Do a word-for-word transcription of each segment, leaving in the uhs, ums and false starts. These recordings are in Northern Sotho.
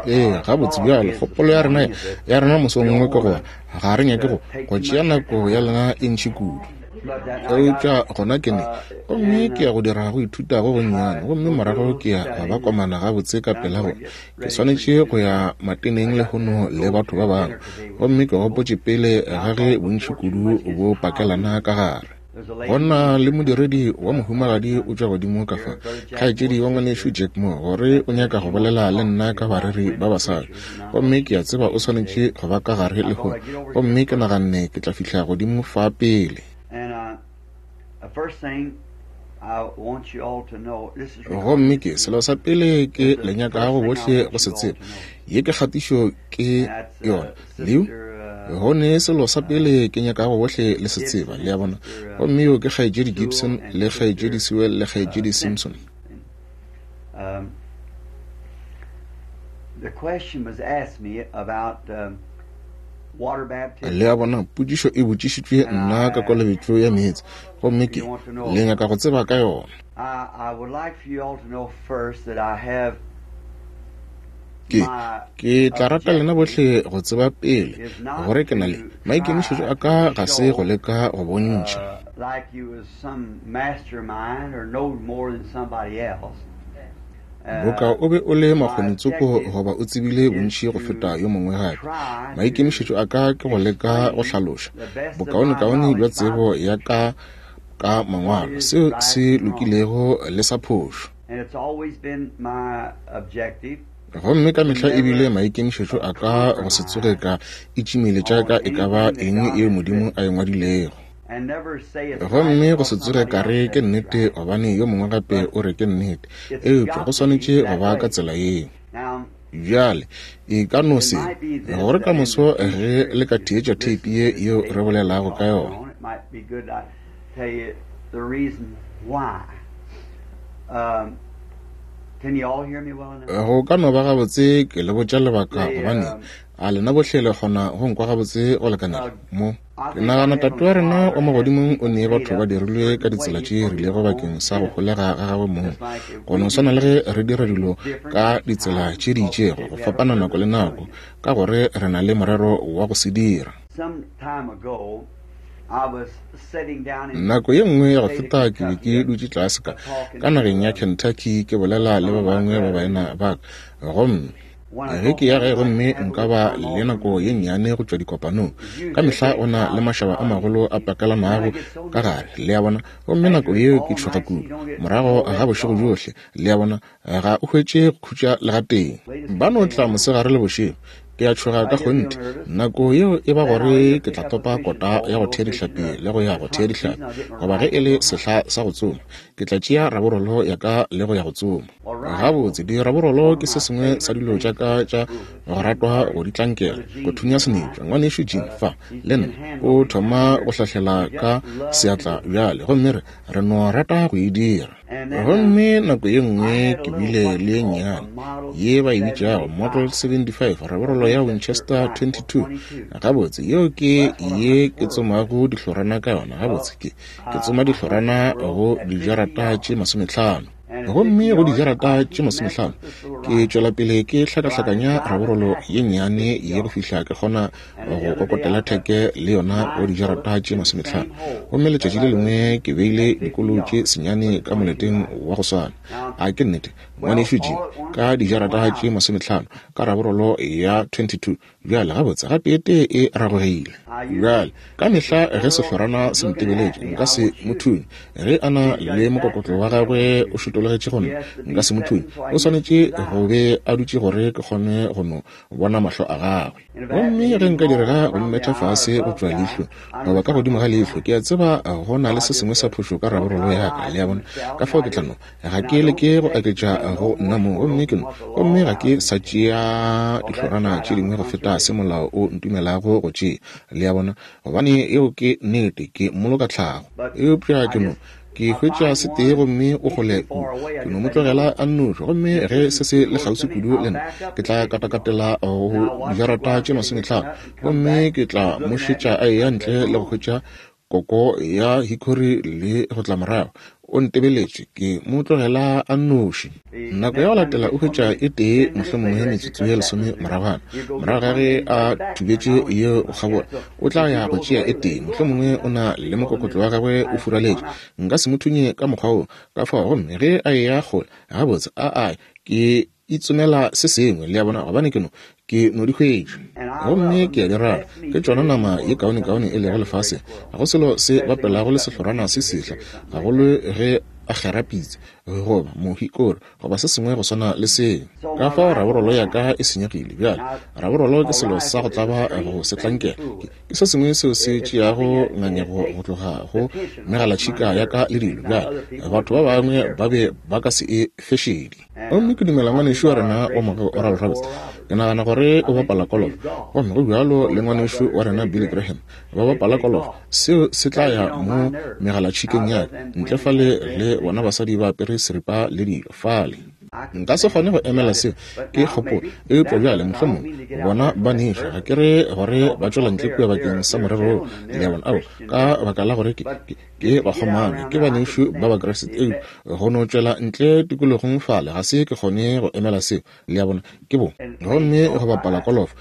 Ee, gabotse bjalo, kgopolo ya rena ya rena mosong wo ke gore ga re nyake go go tšea nako ya lena e ntši kudu. Eupša gona ke ne, gomme ke ya go dira go ithuta go gonnyane, gomme morago ke ya go ba komana gabotse ka pela gore ke swanetše go ya mateneng lehono le batho ba bangwe, gomme ke gopotše pele ga ge bontši kudu bo pakelana ka gare. Go na le modiredi wa mohumagadi o tšwa godimo ka fa, kgaetšedi wa ngwanešu Jack Moore, gore o nyaka go bolela le nna ka bareri ba basadi. Gomme ke a tseba o swanetše go ba ka gare lehono, gomme ke naganne ke tla fihla godimo fa pele. Gomme ke selo sa pele ke le nyakago bohle go se tseba, ye ke kgatišo ke yona leo go ne selo sa pele ke nyakago bohle le se tseba, le a bona. Gomme yo ke kgaetšedi Gibson le kgaetšedi Sewell le kgaetšedi Simpson. Le a bona, potšišo e botšišitšwe nna ka kolobetšo ya meetse, gomme ke le nyaka go tseba ka yona. Ke, ke tla rata lena bohle go tseba pele gore ke na le maikemišetšo a ka ga se go leka go bontšha boka o be o le makgonitsoko goba o tsebile bontši go feta yo mongwe gape. Maikemišetšo a ka ke go leka go hlaloša bokaonekaone bja tsebo ya ka ka mangwalo, seo se lokilego le sa phošo. Gomme ka mehla ebile maikemišetšo a ka go se tsoge ka itšimeletša ka e ka ba eng yeo Modimo a e ngwadilego. Gomme go se tsoge ka re ke nnete gobane yo mongwe gape o re ke nnete, eupša go swanetše go ba ka tsela yeo. Bjale e ka no se gore ka moso ge le ka theetša theipi ye yeo re bolelago ka yona. Go ka no ba gabotse ke le botša lebaka gobane a lena bohle le kgona go nkwa gabotse go lekanela mo. Ke nagana Tate wa rena wa magodimong o nee batho ba dirilwe ka ditsela tše rilego bakeng sa go holega ga gagwe mong. Go no swana le ge re dira dilo ka ditsela tše di itšego go fapana nako le nako, ka gore re na le morero wa go se dira. Nako ye nngwe ya go feta ke be ke dutše tlase ka ka nageng ya Kentucky ke bolela le ba bangwe ba baena ba ka, gomme ge ke ya gae gomme nka ba le nako ye nnyane go tšwa dikopanong. Ka mehla go na le mašaba a magolo a pakelanago ka gare, le a bona, gomme nako yeo ke tšhoga kudu. Morago ga bošego bjohle, le a bona, ga o hwetše go khutša le gatee. Ba no tla mosegare le bošego. Ke a tšhoga ka kgonthe. Nako yeo e ba gore ke tla topa kota ya go thea dihlapi le go ya go thea dihlapi, goba ge e le sehla sa go tsoma, ke tla tšea raborolo ya ka le go ya go tsoma. Gabotse, diraborolo ke se sengwe sa dilo tša ka tša go ratwa go di tlankela, go thunya senepša. Ngwanešu Jim fa le nna o thoma go hlahlela ka seatla bjale, gomme re re no rata go e dira. Gomme nako ye nngwe ke bile le ye nnyane ye ba e bitšago Model seventy-five, raborolo ya Winchester twenty-two. Gabotse, yeo ke ye ke tsomago dihlorana ka yona. Gabotse, ke ke tsoma dihlorana go dijarata tše masomehlano. Gomme go dijarata tše masomehlano ke tšwela pele ke hlakahlakanya raborolo ye nnyane ye go fihla ke kgona go kokotela theke le yona go dijarata tše masomehlano. Gomme letšatši le lengwe ke beile dikolo tše senyane ka moleteng wa go swana. A ke nnete, ngwanešu Jim, ka dijarata tše masomehlano ka raborolo ya twenty-two. Bjale gabotse gateetee e ragogile. Bjale ka mehla ge sehlorana se ntebeletše nka se mo thunye. Ge a na le mokokotlo wa gagwe o šotologetše go nna, nka se mo thunye. O swanetše go be a dutše gore ke kgone go no bona mahlo a gagwe. Gomme ge nka direga go mmetha fase go tšwa leihlo goba ka godimo ga leihlo, ke a tseba go na le se sengwe sa phošo ka raborolo ya ka, le a bona. Ka fao ke tla no ga ke leke go aketša go nna mo, gomme ke no gomme ga ke sa tšea dihlorana tše dingwe go feta se molao o ntumelago go tšea, le a bona, gobane eo ke nnete, ke mmoloka tlhago. Eupša ke no ke hwetša se tee gomme o kgole kudu, ke no mo tlogela a nnoši, gomme ge se se le kgauswi kudu le nna, ke tla katakatela go dijarata tše masomehlano, gomme ke tla mo šetša a eya ntle le go hwetša koko ya hickory le go tla morago. O ntebeletše, ke mo tlogela a nnoši. Nako ya go latela o hwetša e tee mohlomongwe metsotso ye lesome moragwana. Morago ga ge a thubetše yeo go kgabola, o tla ya go tšea e tee, mohlomongwe o na le mokokotlo wa gagwe o furaletše. Nka se mo thunye ka mokgwa wo, ka fao gomme ge a eya kgole, gabotse a a ke itsomela se sengwe, le a bona, gobane ke no ke no di hwetša. Gomme ke a di rata, ke tšona nama ye kaonekaone e lego lefaseng. Ga go selo se bapelago le sehlorana se sehla, gagolo ge a kgera pitse goba mohikori goba se sengwe go swana le seo. Ka fao raborolo ya ka e senyegile bjale. Raborolo ke selo sa go tlaba go se tlankela, ke se sengwe seo se tšeago ngangego go tloga go megalatšhika ya ka le dilo. Bjale batho ba bangwe ba be ba ka se e fešedi. Gomme ke dumela ngwanešu wa rena wa mogo Oral Roberts, ke nagana gore o bapala kolofo, gomme go bjalo le ngwanešu wa rena Billy Graham ba bapala kolofo. Seo se tla ya mo megalatšhikeng ya ka ntle fale le bona basadi ba apere seripa le dilo fale. Nka se kgone go emela seo, ke kgopolo. Eupša bjale mohlomongwe bona ba nešo, ga ke re gore ba tšwela ntle kua bakeng sa morero wo, le a bona, ao ka baka la gore ke ke ke bakgomana, ke banešu ba Bakriste. Eupša go no tšwela ntle tikologong fale ga se ke kgone go emela seo, le a bona, ke bo. Gomme go bapala kolofo,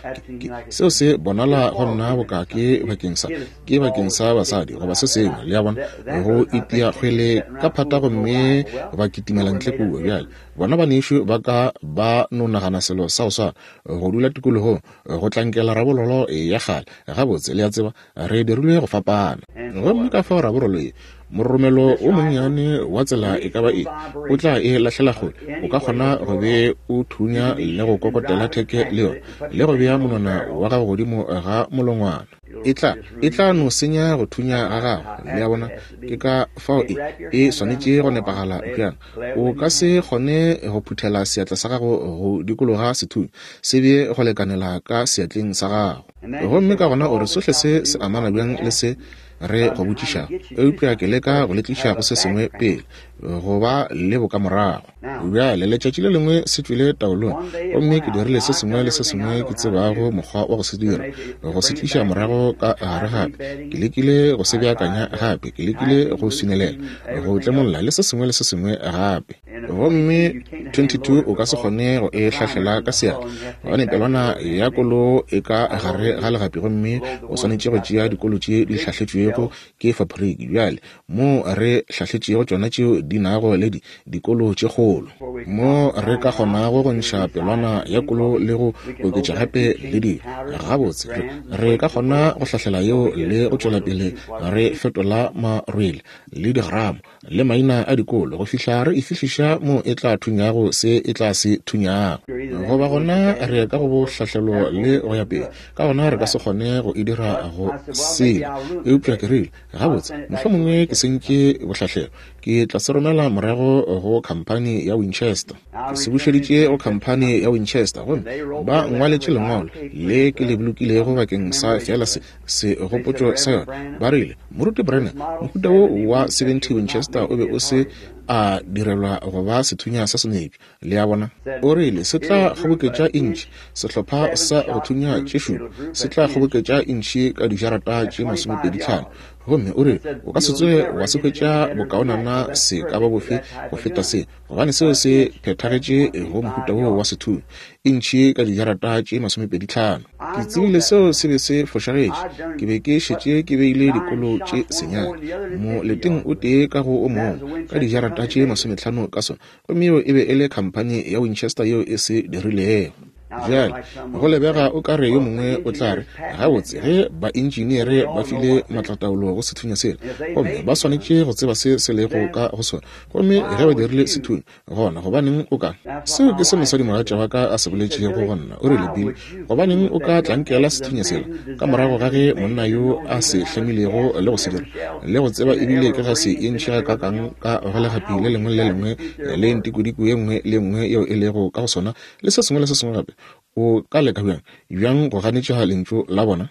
seo se bonala go nna boka ke bakeng sa ke bakeng sa basadi goba se sengwe, le a bona, go itia kgwele ka phata gomme ba kitimela ntle kua. Bjale bona banešu ba ka ba no nagana selo sa go swana, go dula tikologong go tlankela rabololo ya kgale. Gabotse, le a tseba, re dirilwe go fapana. Gomme ka fao raborolo ye, moromelo o monnyane wa tsela e ka ba e, o tla e lahlela kgole. O ka kgona go be o thunya le go kokotela theke le yona, le go bea monwana wa gago godimo ga molongwana. E tla e tla no senya go thunya ga gago, le a bona. Ke ka fao e e swanetše go nepagala bjang. O ka se kgone go phuthela seatla sa gago go dikologa sethunya, se be go lekanela ka seatleng sa gago. Gomme ka gona o re sohle se se amana bjang le se re go botšišago, eupša ke leka go le tliša go se sengwe pele, go ba le bokamorago. Bjale letšatši le lengwe se tšwile taolong, gomme ke dirile se sengwe le se sengwe ke tsebago mokgwa wa go se dira, go se tliša morago ka gare gape. Ke lekile go se beakanya gape, ke lekile go swinelela, go tlemolla le se sengwe le se sengwe gape. Gomme twenty-two o ka se kgone go e hlahlela ka seatla, gobane pelwana ya kolo e ka gare ga legapi, gomme o swanetše go tšea dikolo tše di hlahletšwego ke fabriki. Bjale mo re hlahletšego tšona tšeo di nago le di dikolo tše kgolo, mo re ka kgonago go ntšha pelwana ya kolo le go oketša gape le dilo. Gabotse re, re ka kgona go hlahlela yeo le go tšwela pele re fetola marwele le digramo le maina a dikolo go fihla re e fihliša mo e tla thunyago se e tla se thunyago. Goba gona re ka go bohlahlelo le go ya pele, ka gona re ka se kgone go e dira go sela. Eupša ke rile, gabotse mohlomongwe ke sentše bohlahlelo, ke tla se romela morago go khamphani ya Winchester. Ke se bušeditše go khamphani ya Winchester, gomme ba ngwaletše lengwalo le ke le bolokilego bakeng sa fela se segopotšo sa yona. Ba rile, Moruti Brenner, mohuta wo wa seventy Winchester o be o se a direlwa go ba sethunya sa senepša, le a bona. O rile se tla kgoboketša intšhi, sehlopha sa go thunya tše šupa se tla kgoboketša intšhi ka dijarata tše masomepedi tlhano. Gomme o rile o ka se tsoge wa se hwetša bokaonana se ka ba bofe go feta se, gobane seo se phethagetše go mohuta wo wa sethunya, intšhi ka dijarata tše masomepedi tlhano. Ke tsebile seo se be se fošagetše. Ke be ke šetše ke beile dikolo tše senyane moleteng o tee ka go o mongwe ka dijarata tše masometlhano ka sona, gomme yeo e be e le khamphani ya Winchester yeo e se dirilego. Bjale go lebega o ka re yo mongwe o tla re, gabotse ge baentšineere ba file maatlataolo go sethunya sela, gomme ba swanetše go tseba se se lego ka go sona, gomme ge ba dirile sethunya, gona gobaneng o ka? Seo ke se mosadimogatša wa ka a se boletšego go nna. O rile, Bill, gobaneng o ka tlankela sethunya sela ka morago ga ge monna yo a se hlamilego le go se dira le go tseba ebile ke ga se e ntšha ka kang ka go legapi le lengwe le lengwe le ntikodiko ye nngwe le nngwe yeo e lego ka go sona le se sengwe le se sengwe gape, o ka leka bjang bjang go ganetša lentšu la bona?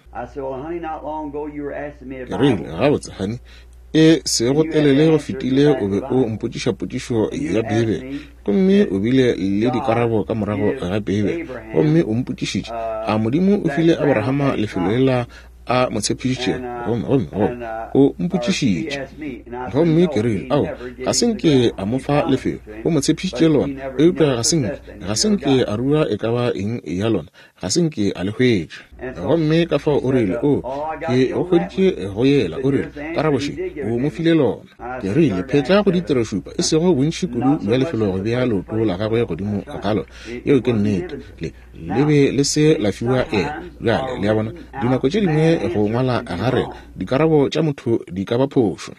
Ke rile, gabotse honey, e sego telele go fetile o be o mpotšiša potšišo ya Beibele, gomme o bile le dikarabo ka morago ga Beibele, gomme o mpotšišitše, a Modimo o file Abrahama lefelo lela a mo tshepišitšego. Gomme, gomme, gomme o mpotšišitše. Gomme ke rile, ao, ga se nke a mo fa lefelo. O mo tshepišitše lona, eupša ga se nke, ga se nke a rua e ka ba eng ya lona, ga se nke a le hwetša. Gomme ka fao o rile, o, ke go hweditše go yela, o rile, karabo še, o mo file lona. Ke rile, phetla go ditirošupa, e sego bontši kudu bja lefelo go bea leoto la gagwe godimo ga lona. Yeo ke nnete. Le, le be le se la fiwa ena. Bjale, le a bona, dinako tše dingwe go ngwala ga rena, dikarabo tša motho di ka ba phošo.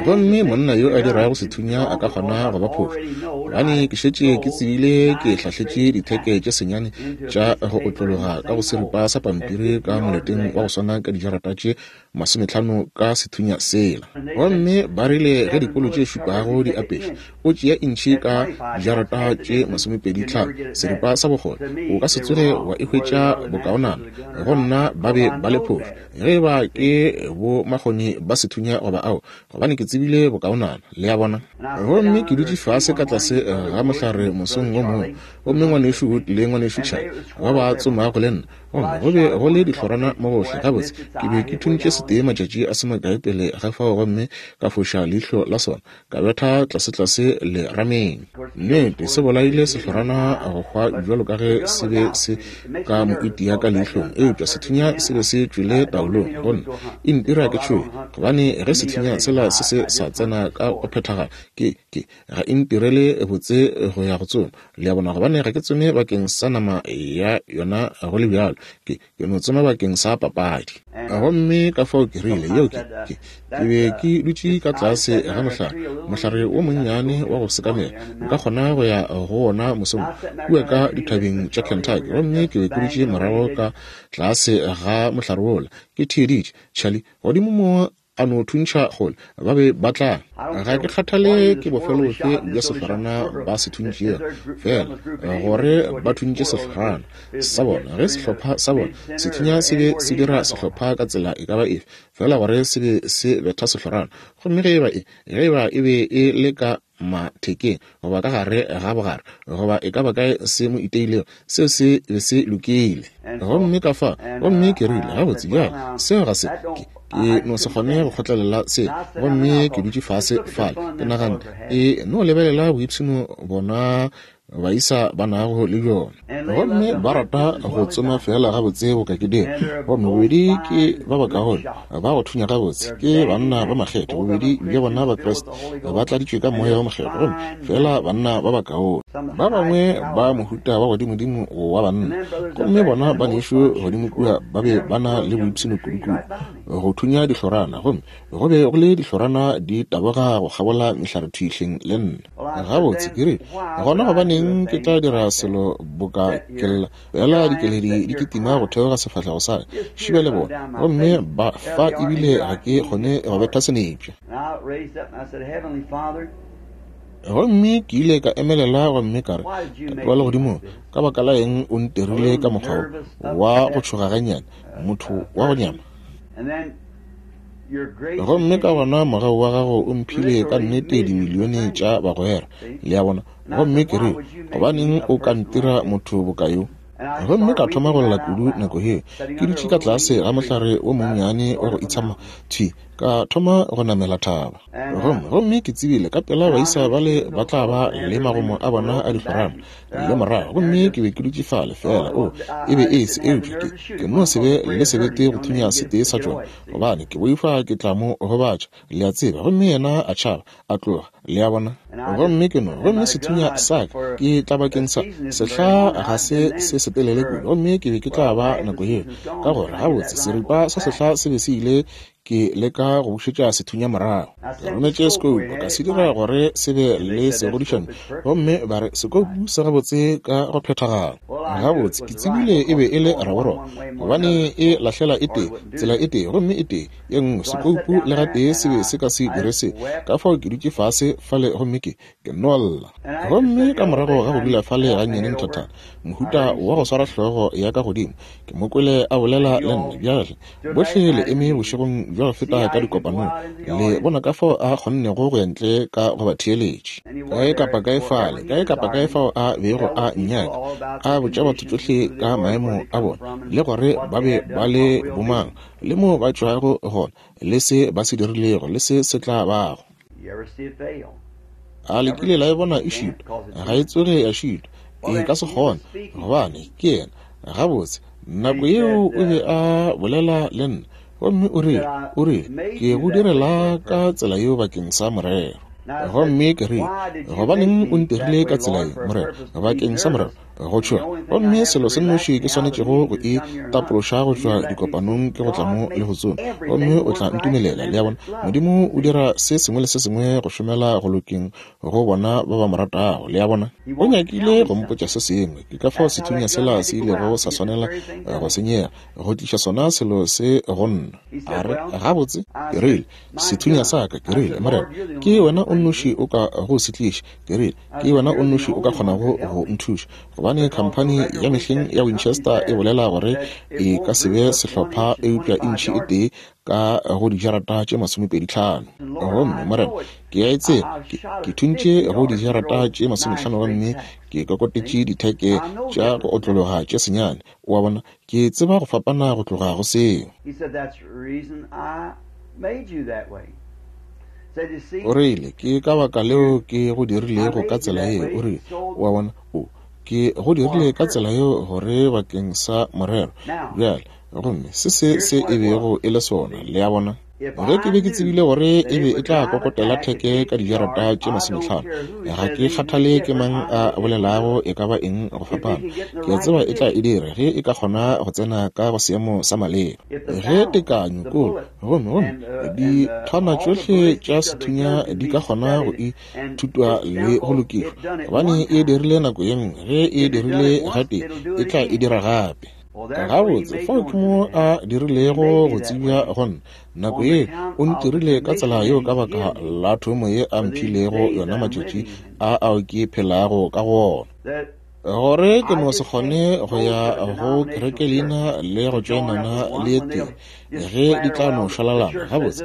Gomme monna yo a dirago sethunya a ka kgona go ba phošo, gobane ke šetše ke tsebile ke hlahletše ditheke tše senyane tša go otlologa ka go seripa sa pampiri ka moleteng wa go swana ka dijarata tše masometlhano ka sethunya sela. Gomme ba rile ge dikolo tše šupago di apeša, o tšea intšhi ka dijarata tše masomepedi tlhano, seripa sa bokgole, o ka se tsoge wa e hwetša bokaonana. Go nna ba be ba le phošo, ge ba ke bo makgoni ba sethunya goba ao, gobane ke tsebile bokaonana, le a bona. Gomme ke dutše fase ka tlase ga mohlare mosong wo mongwe, gomme ngwanešu Wood le ngwanešu Charlie ba ba tsomago le nna, gomme go be go le dihlorana mo gohle. Gabotse, ke be ke thuntše setee matšatši a se makae pele ga fao, gomme ka foša leihlo la sona, ka betha tlasetlase le rameng. Nnete, se bolaile sehlorana go hwa bjalo ka ge se be se ka mo itia ka leihlong, eupša sethunya se be se tšwele taolong. Go nna e ntira ke tšhoge, gobane ge sethunya sela se se sa tsena ka go phethagala, ke ke ga e ntirele botse go ya go tsoma, le a bona, gobane ga ke tsome bakeng sa nama ya yona go le bjalo, ke ke no tsoma bakeng sa papadi. Gomme ka fao ke rile, yeo ke, ke, ke be ke dutše ka tlase ga mohlare, mohlare wo monnyane wa go sekamela, nka kgona go ya go wona mosong kua ka dithabeng tša Kentucky. Gomme ke be ke dutše morago ka tlase ga mohlare wola, ke theeditše Charlie godimo mo a no thuntšha kgole, ba be ba tla. Ga ke kgathale ke bofelo bofe bja sehlorana ba se thuntšego, fela gore ba thuntše sehlorana sa bona. Ge sehlopha sa bona sethunya se be se dira sehlopha ka tsela e ka ba efe, fela gore se be se betha sehlorana. Gomme ge eba e, ge eba e be e le ka mathekeng goba ka gare ga bogare goba e ka ba kae se mo iteilego, seo se be se lokile. Gomme ka fa, gomme ke rile, gabotse bjale seo ga se, ke, ke no se kgone go kgotlelela se. Gomme ke dutše fase fale, ke naganne, e no lebelela boipshino bona baisa ba nago le bjona. Gomme ba rata go tsoma fela gabotse boka ke dira. Gomme bobedi ke ba bakaone, ba go thunya gabotse, ke banna ba makgetho, bobedi bja bona ba Kriste, ba tladitšwe ka moya wa mokgethwa, gomme fela banna ba bakaone. Ba bangwe ba mohuta wa godimodimo wa banna. Gomme bona banešu godimo kua ba be ba na le boipshino kudu-kudu go thunya dihlorana, gomme go be go le dihlorana di taboga go kgabola mehlare thwihleng le nna. Gabotse ke rile, gona gobaneng ke tla dira selo boka ke lla, fela dikeledi di kitima go theoga sefahlego sa ka, šiba le bona, gomme ba fa ebile ga ke kgone go betha senepša. Gomme ke ile ka emelela gomme ka re, Tate wa legodimong, ka baka la eng o ntirile ka mokgwa wo wa go tšhoga gannyane, motho wa go nyama? Gomme ka gona mogau wa gago o mphile ka nnete dimilione tša bagwera, le a bona. Gomme ke rile, gobaneng o ka ntira motho boka yo? Gomme ka thoma go lla kudu nako yeo, ke dutše ka tlase ga mohlare wo monnyane wa go itshama thwi, ka thoma go namela thaba. Gomme gomme ke tsebile ka pela baisa bale ba tla ba le magomo a bona a dihlorana le morago. Gomme ke be ke dutše fale fela, o e be e se, eupša ke, ke no se be le sebete go thunya setee sa tšona, gobane ke boifa ke tla mo gobatša, le a tseba. Gomme yena a tšhaba, a tloga, le a bona. Gomme ke no, gomme sethunya sa ka ke tla bakeng sa sehla ga se se setelele kudu, gomme ke be ke tla ba nako yeo, ka gore gabotse seripa sa sehla se be se ile ke leka go bušetša sethunya morago. Ke rometše sekoupu, ka se dira gore se be le segodišano, gomme ba re sekoupu se gabotse ka go phethagala. Gabotse ke tsebile e be e le raboroko, gobane e lahlela e tee tsela e tee gomme e tee ye nngwe. Sekoupu le gatee se be se ka se dire se. Ka fao ke dutše fase fale gomme ke ke no lla. Gomme ka morago ga go dula fale gannyane nthathana, mohuta wa go swara hlogo ya ka godimo, ke mo kwele a bolela le nna. Bjale bohle le eme bošegong bja go feta ka dikopanong, le bona ka fao a kgonnego go ya ntle ka go ba theeletše. Kae kapa kae fale, kae kapa kae fao a bego a nnyaka, a botša botša batho tšohle ka maemo a bona, le gore ba be ba le bomang, le mo ba tšwago gona, le se ba se dirilego, le se se tla bago. A le kile la e bona e šitwa? Ga e tsoge ya šitwa. E ka se kgone, gobane ke yena. Gabotse, nako yeo o be a bolela le nna, gomme o rile, o rile, ke go direla ka tsela yeo bakeng sa morero. Gomme ke rile, gobaneng o ntirile ka tsela ye, morero, bakeng sa morero, go tšhoga. Gomme selo se nnoši ke swanetšego go e tapološa go tšwa dikopanong ke go tla mo le go tsoma, gomme o tla ntumelela. Le a bona, Modimo o dira se sengwe le se sengwe go šomela go lokeng go bona ba ba mo ratago. Le a bona, o nyakile go mpotša se sengwe. Ke ka fao sethunya sela se ilego sa swanela go senyega, go tliša sona selo se go nna. A re, gabotse, ke rile, sethunya sa ka, ke rile, morena, ke wena o nnoši o ka go se tliša. Ke rile, ke wena o nnoši o ka kgonago go nthuša, gobane khamphani ya mehleng ya Winchester e bolela gore e ka se be sehlopha eupša intšhi e tee ka go dijarata tše masomepedi tlhano. Gomme morena, ke a e tseba, ke, ke thuntše go dijarata tše masomehlano gomme ke kokotetše ditheke tša go otlologa tše senyane. O a bona, ke tseba go fapana go tloga go seo. O rile, ke ka baka leo ke go dirilego ka tsela yeo. O rile, o a bona, o ke go dirile ka tsela yeo gore bakeng sa morero. Bjale, gomme se se se e bego e le sona, le a bona. Ge ke be ke tsebile gore e be e tla kokotela theke ka dijarata tše masomehlano, ga ke kgathale ke mang a bolelago e ka ba eng go fapana. Ke a tseba e tla e dira ge e ka kgona go tsena ka go seemo sa maleba. Ge tekanyo kolo, gomme gomme dithwana tšohle tša sethunya di ka kgona go ithutwa le go lokišwa, gobane e dirile nako ye nngwe, ge e dirile gatee, e tla e dira gape. Gabotse, fao ke mo a dirilego go tsebja go nna. Nako ye o ntirile ka tsela yeo ka baka la thomo ye a mphilego yona matšatši a ao ke phelago ka go ona, gore ke no se kgone go ya go kereke leina le go tšoenana le tee ge di tla no šwalalana. Gabotse,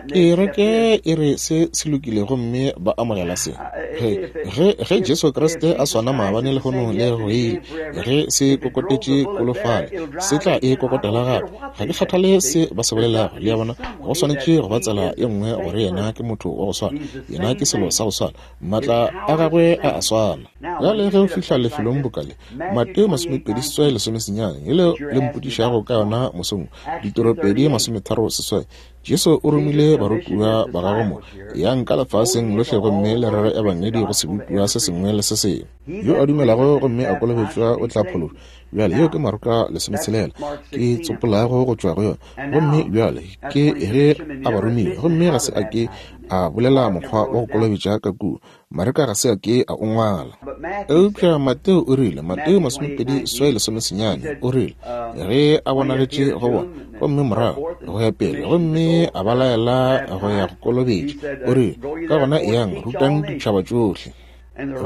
kereke e re se se lokile gomme ba amogela se. Ge, ge, ge Jesu Kriste a swana maabane lehono le go ile, ge se kokotetše kolofale, se tla e kokotela gape. Ga ke kgathale se ba se bolelago. Le a bona, go swanetše go ba tsela ye nngwe gore yena ke motho wa go swana, yena ke selo sa go swana, maatla a gagwe a a swana. Bjale ge o fihla lefelong bokale, Mateo masomepedi seswai lesomesenyane, yele le mpotšišago ka yona mosong, ditoropedi masometharo seswai, Jesu o romile barutiwa ba gagwe mo, yang ka lefaseng lohle gomme le rere ebangedi go sebopiwa se sengwe le se sengwe. Yo a dumelago gomme a kolobetšwa o tla phološwa. Bjale yeo ke Marka lesometshelela ke tsopolago go tšwa go yona. Gomme bjale ke ge a ba romile, gomme ga se a ke a bolela mokgwa wa go kolobetša ka kua. Mareka ga se a ke a o ngwala. Eupša Mateo o rile, Mateo masomepedi seswai lesomesenyane, o rile, ge a bonagetše go bona, gomme morago go ya pele, gomme a ba laela go ya go kolobetša, o rile, ka gona eyang, rutang ditšhaba tšohle.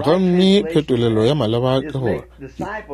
Gomme phetolelo ya maleba ke gore,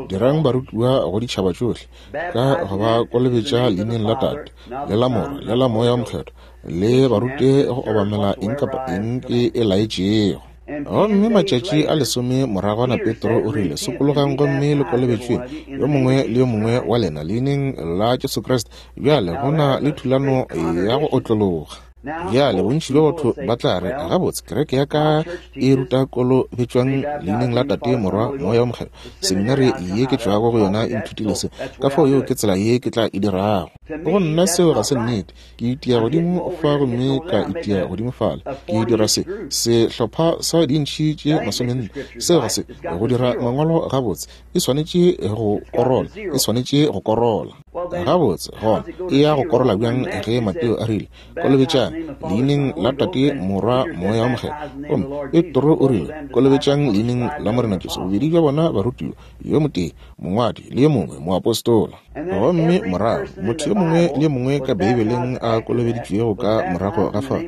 dirang barutiwa go ditšhaba tšohle, ka go ba kolobetša leineng la Tate, le la Morwa, le la Moya o Mokgethwa, le ba rute go obamela eng kapa eng ke e laetšego. Gomme matšatši a lesome moragwana Petro o rile, sokologang gomme le kolobetšweng yo mongwe le yo mongwe wa lena leineng la Jesu Kriste. Bjale go na le thulano ya go otlologa. Bjale bontši bja batho ba tla re, gabotse, kereke ya ka e ruta kolobetšwang leineng la Tate, Morwa, Moya o Mokgethwa. Seminari ye ke tšwago go yona e nthutile se, ka fao yeo ke tsela ye ke tla e dirago. Go nna seo ga se nnete. Ke itia godimo fa gomme ka itia godimo fale. Ke dira se, sehlopha sa dintšhi tše masomenne. Seo ga se go dira mangwalo gabotse. E swanetše go korola, e swanetše go korola. Gabotse, gona e ya go korola bjang ge Mateo a rile, kolobetšang leineng la Tate, Morwa, Moya o Mokgethwa. Gomme Petro o rile, kolobetšang leineng la Morena Jesu. Bobedi bja bona barutiwa, yo motee mongwadi le yo mongwe moapostola. Gomme morago motho yo mongwe le yo mongwe ka Beibeleng a kolobeditšwego ka morago ga fao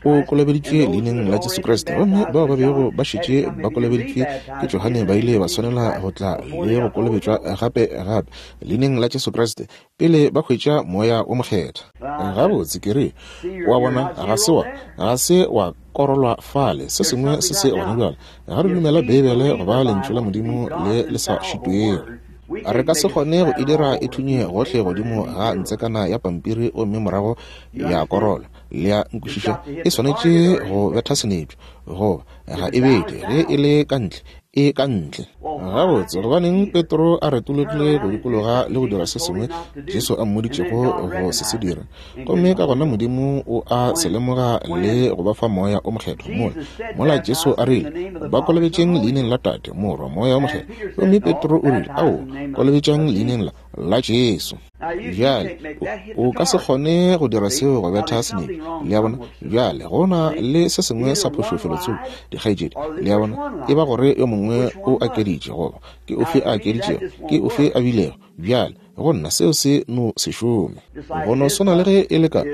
o kolobeditšwe leineng la Jesu Kriste. Gomme bao ba bego ba šetše ba kolobeditšwe ke Johane ba ile ba swanela go tla le go kolobetšwa gape gape leineng la Jesu Kriste pele ba hwetša Moya o Mokgethwa. Gabotse ke re, wa bona, ga se wa ga se wa korolwa fale, se sengwe se se gona bjale. Ga re dumela Beibele go ba lentšu la Modimo le le sa šitwego. Re ka se kgone go e dira e thunye gohle godimo ga ntsekana ya pampiri gomme morago ya korola. Le a nkwešiša? E swanetše go betha senepša, goba ga e bethe. Ge e le ka ntle, e ka ntle. Gabotse, gobaneng Petro a retologile go dikologa le go dira se sengwe Jesu a mmoditšego go se se dira? Gomme ka gona Modimo o a se lemoga le go ba fa Moya o Mokgethwa. Mola, mola Jesu a rile, ba kolobetšeng leineng la Tate, Morwa, Moya o Mokgethwa. Gomme Petro o rile, ao, kolobetšang leineng la, la Jesu. Bjale, o ka se kgone go dira seo go betha senepe. Le a bona? Bjale, go na le se sengwe sa phošo felotsoko, dikgaetšedi. Le a bona? E ba gore yo mongwe o akeditše, goba ke ofe a akeditšego, ke ofe a bilego. Bjale, go nna seo se no se šome. Go no swana le ge e le ka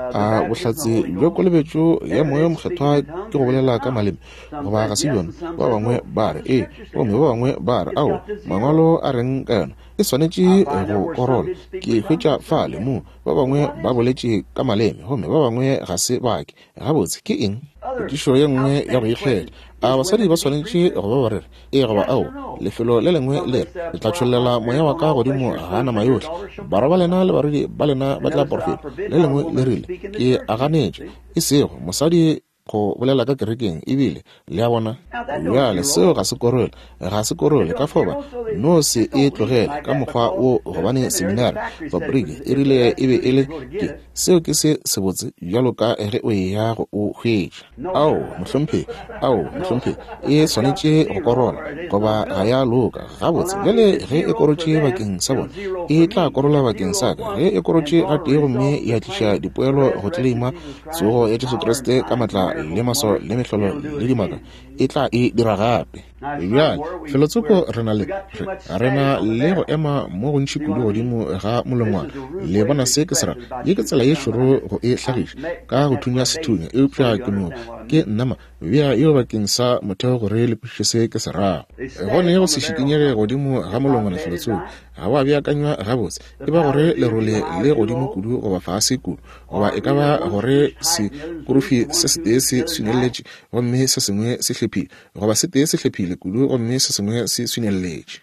a bohlatse bja kolobetšo ya Moya o Mokgethwa ke go bolela ka maleme, goba ga se bjona. Ba bangwe ba re ee, gomme ba bangwe ba re ao. Mangwalo a reng ka yona? E swanetše go korola. Ke hwetša fale mo ba bangwe ba boletše ka maleme gomme ba bangwe ga se bake. Gabotse ke eng? Potšišo ye nngwe ya go ikgetha. A basadi ba swanetše go ba bareri? Ee goba ao? Lefelo le lengwe le re, ke tla tšhollela moya wa ka godimo ga nama yohle, barwa ba lena le barwedi ba lena ba tla porofeta. Le lengwe le rile, ke a ganetša, e sego mosadi go bolela ka kerekeng ebile. Le a bona? Bjale seo ga se korole, ga se korole. Ka fao ba no se e tlogele ka mokgwa wo, gobane seminari fabriki e rile e be e le ke seo ke se sebotse bjalo ka ge o eya go o hwetša. Ao, mohlomphegi, ao, mohlomphegi, e swanetše go korola goba ga ya loka. Gabotse, bjale ge e korotše bakeng sa bona, e tla korola bakeng sa ka. Ge e korotše gatee gomme ya tliša dipoelo go tleleima tsogo ya Jesu Kriste ka matla le maswao le mehlolo le dimaka, e tla e dira gape. Bjale felotsoko re na le re, re na le go ema mo gontši kudu godimo ga molongwana. Le bona se ke se ra? Ye ke tsela ye šoro go e hlagiša ka go thunya sethunya, eupša ke no ke nnama bea yeo bakeng sa motheo gore le kwešiše se ke se rago. Go ne go se šikinyege godimo ga molongwana felotsoko, ga wa beakanywa gabotse. E ba gore lerole le godimo kudu goba fase kudu, goba e ka ba gore sekorofi se setee se swinelletše gomme se sengwe se hlephile, goba se tee se hlephile kudu gomme se sengwe se swinelletše.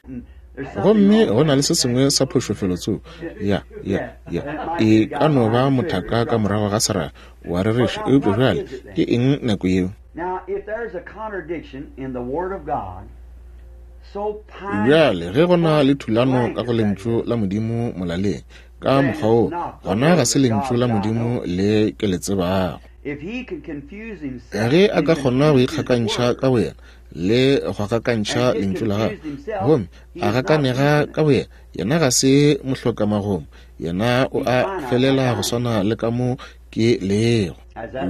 Gomme go na le se sengwe sa phošo felotsoko. Ya, ya, ya. E ka no ba mothaka ka morago ga seraga wa rereša, eupša bjale ke eng nako yeo? Bjale ge go na le thulano ka go lentšu la Modimo molaleng ka mokgwa wo, gona ga se lentšu la Modimo le ke le tsebago. Ge a ka kgona go ikgakantšha ka boyena le go gakantšha lentšu la gagwe, gomme a gakanega ka boyena, yena ga se mohlokamagomo, yena o a felela go swana le ka mo ke lego.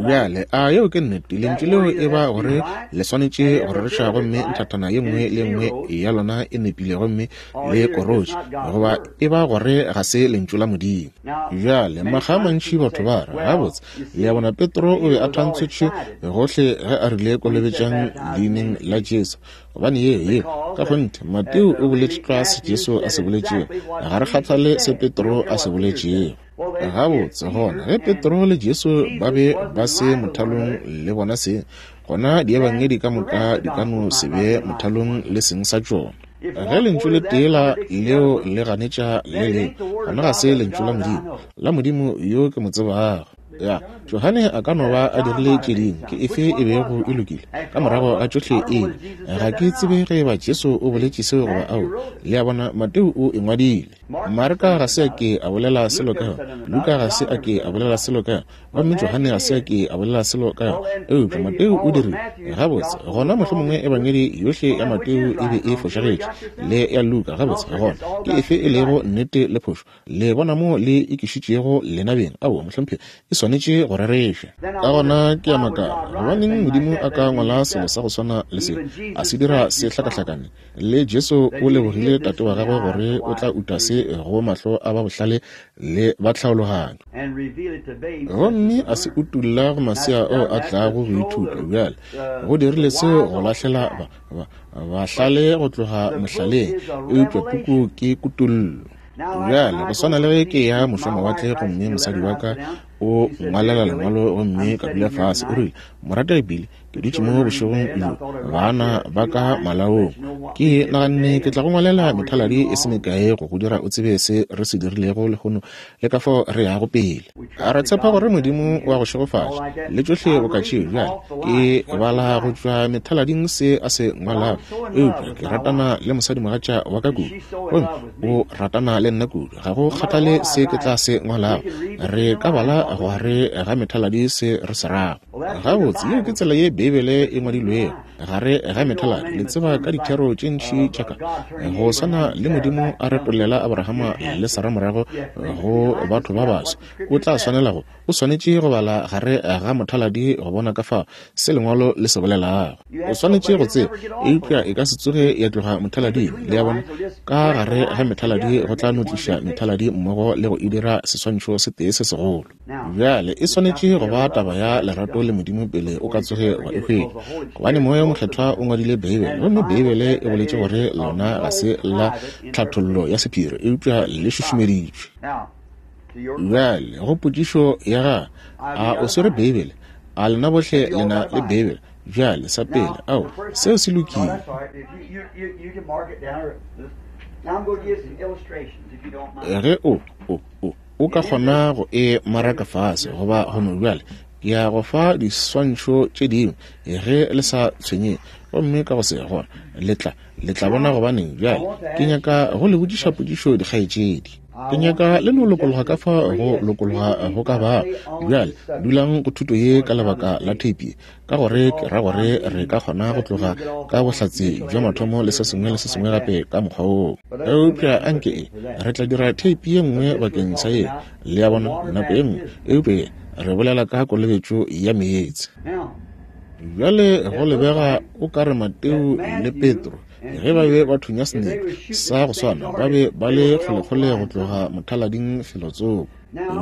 Bjale a yeo ke nnete? Lentšu leo e ba gore le swanetše go rereša gomme nthathana ye nngwe le nngwe ya lona e nepile gomme le korotše, goba e ba gore ga se lentšu la Modimo. Bjale makga a mantši batho ba re, gabotse, le a bona, Petro o be a thantshetšwe gohle ge a rile kolobetšang leineng la Jesu, gobane ye ye ka kgonthe Mateo o boletše tlwa se Jesu a se boletšego, ga re kgathale se Petro a se boletšego. Gabotse, gona ge Petro le Jesu ba be ba se mothalong le bona se, gona diebangedi ka moka di ka no se be mothalong le seng sa tšona. Ge lentšu le tee la leo le ganetša le lengwe, gona ga se lentšu la Modimo, la Modimo yo ke mo tsebago. Ya, Johane a ka no ba a dirile tše dingwe, ke efe e bego e lokile ka morago ga tšohle eng? Ga ke tsebe ge eba Jesu o boletše seo goba ao. Le a bona, Mateo o e ngwadile. Marka ga se a ke a bolela selo ka yona, Luka ga se a ke a bolela selo ka yona, gomme Johane ga se a ke a bolela selo ka yona, eupša Mateo o dirile. Gabotse, gona mohlomongwe ebangedi yohle ya Mateo e be e fošagetše le ya Luka. Gabotse, gona ke efe e lego nnete le phošo? Le bona mo le ikišitšego lena beng? Aowa, mohlomphegi, e swanetše go rereša. Ka gona ke a makala, gobaneng Modimo a ka ngwala selo sa go swana le se, a se dira se hlakahlakane? Le Jesu o lebogile Tate wa gagwe gore o tla uta se go mahlo a ba bohlale le ba tlhaologanyo, gomme a se utulla go masea ao a tlago go ithuta. Bjale go dirile seo go lahlela ba, ba, bahlale go tloga mohlaleng, eupša puku ke kutollo. Bjale go swana le ge ke ya mošomawatle gomme mosadi wa ka o ngwalela lengwalo gomme ka dula fase, o rile, morategi Billy, ke dutše mo bošegong bjo, bana ba ka malaong, Ke naganne ke tla go ngwalela methaladi e se mekae go go dira o tsebe se re se dirilego lehono le ka fao re yago pele. A re tshepa gore Modimo wa go šegofatša le tšohle boka tšeo. Bjale ke bala go tšwa methalading se a se ngwalago, eupša ke ratana le mosadimogatša wa ka kudu, gomme o ratana le nna kudu. Ga go kgathale se ke tla se ngwalago, re ka bala gare ga methaladi se re se rago. Gabotse, yeo ke tsela ye Beibele e ngwadilwego, gare ga methaladi. Le tseba ka dithero tše ntši tša ka, go swana le Modimo a retollela Abrahama le Sara morago go batho ba baso, o tla swanela go o swanetše go bala gare ga mothaladi go bona ka fao se lengwalo le se bolelago. O swanetše go tseba, eupša e ka se tsoge ya tloga mothalading. Le a bona, ka gare ga methaladi go tla no tliša methaladi mmogo le go e dira seswantšho se tee se segolo. Bjale e swanetše go ba taba ya lerato le Modimo pele o ka tsoge wa e hwetša, gobane Moya o Mokgethwa o ngwadile Beibele, gomme Beibele e boletše gore lona ga se la tlhathollo ya sephiri, eupša le šušumeditšwe. Bjale go potšišo ya ga, a o swere Beibele? A lena bohle le na le Beibele? Bjale sa pele, ao, seo se lokile. Ge o, o, o, o ka kgona go e maraka fase goba go no, bjale ke ya go fa diswantšho tše dingwe ge le sa tshwenyeng, gomme ka go se gona le tla le tla bona gobaneng. Bjale ke nyaka go le botšiša potšišo, dikgaetšedi. Ke nyaka le no lokologa ka fa go lokologa go ka ba. Bjale dulang go thuto ye ka lebaka la theipi ye, ka gore ke ra gore re ka kgona go tloga ka bohlatse bja mathomo le se sengwe le se sengwe gape ka mokgwa woo. Eupša anke e, re tla dira theipi ye nngwe bakeng sa ye, le a bona, nako ye nngwe. Eupša ye re bolela ka kolobetšo ya meetse. Bjale go lebega o ka re Mateo le Petro ge ba be ba thunya senepe sa go swana, ba be ba le kgolekgole go tloga mothalading felotsoko.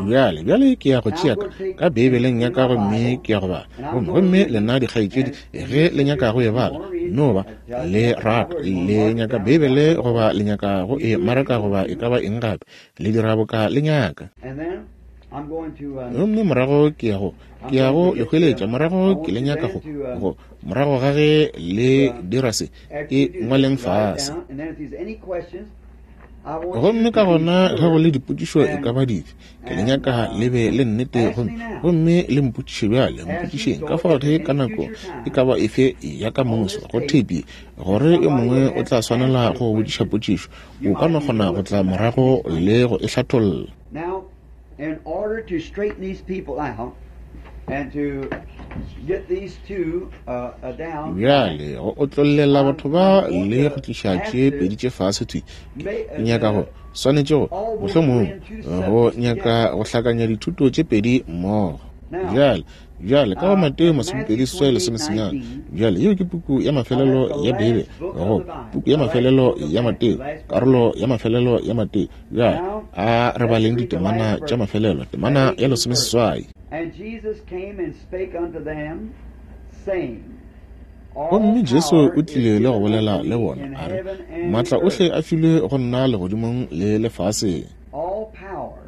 Bjale, bjale ke ya go tšea ka, ka Beibeleng ya ka gomme ke ya go bala. Gomme, gomme lena dikgaetšedi ge le nyaka go e bala, no ba le rata, le nyaka Beibele goba le nyaka go e maraka goba e ka ba eng gape, le dira boka le nyaka. Gomme morago ke ya go ke ya go le hweletša, morago ke le nyaka go go morago ga ge le dira se, e ngwaleng fase. Gomme ka gona ge go le dipotšišo e ka ba dife, ke le nyaka le be le nnete, gomme gomme le mpotšiše bjale, mpotšišeng ka fao ge ka nako e ka ba efe ya ka moso go theipi, gore yo mongwe o tla swanela go botšiša potšišo, o ka no kgona go tla morago le go e hlatholla. In order to straighten these people out and to get these two uh, uh, down, Bjale go otlollela batho ba le go tliša tše pedi tše fase thwi, ke nyaka go swanetše go mohlomongwe go nyaka go hlakanya dithuto tše pedi mmogo. Bjale, bjale ka go Mateo masomepedi seswai lesomesenyane, bjale yeo ke puku ya mafelelo ya Beibele, go puku ya mafelelo ya Mateo, karolo ya mafelelo ya Mateo. Bjale a re baleng ditemana tša mafelelo, temana ya lesomeseswai. And Jesus came and spake unto them, saying, Gomme Jesu o tlile le go bolela le bona, a re, Maatla ohle a filwe go nna legodimong le lefaseng. All power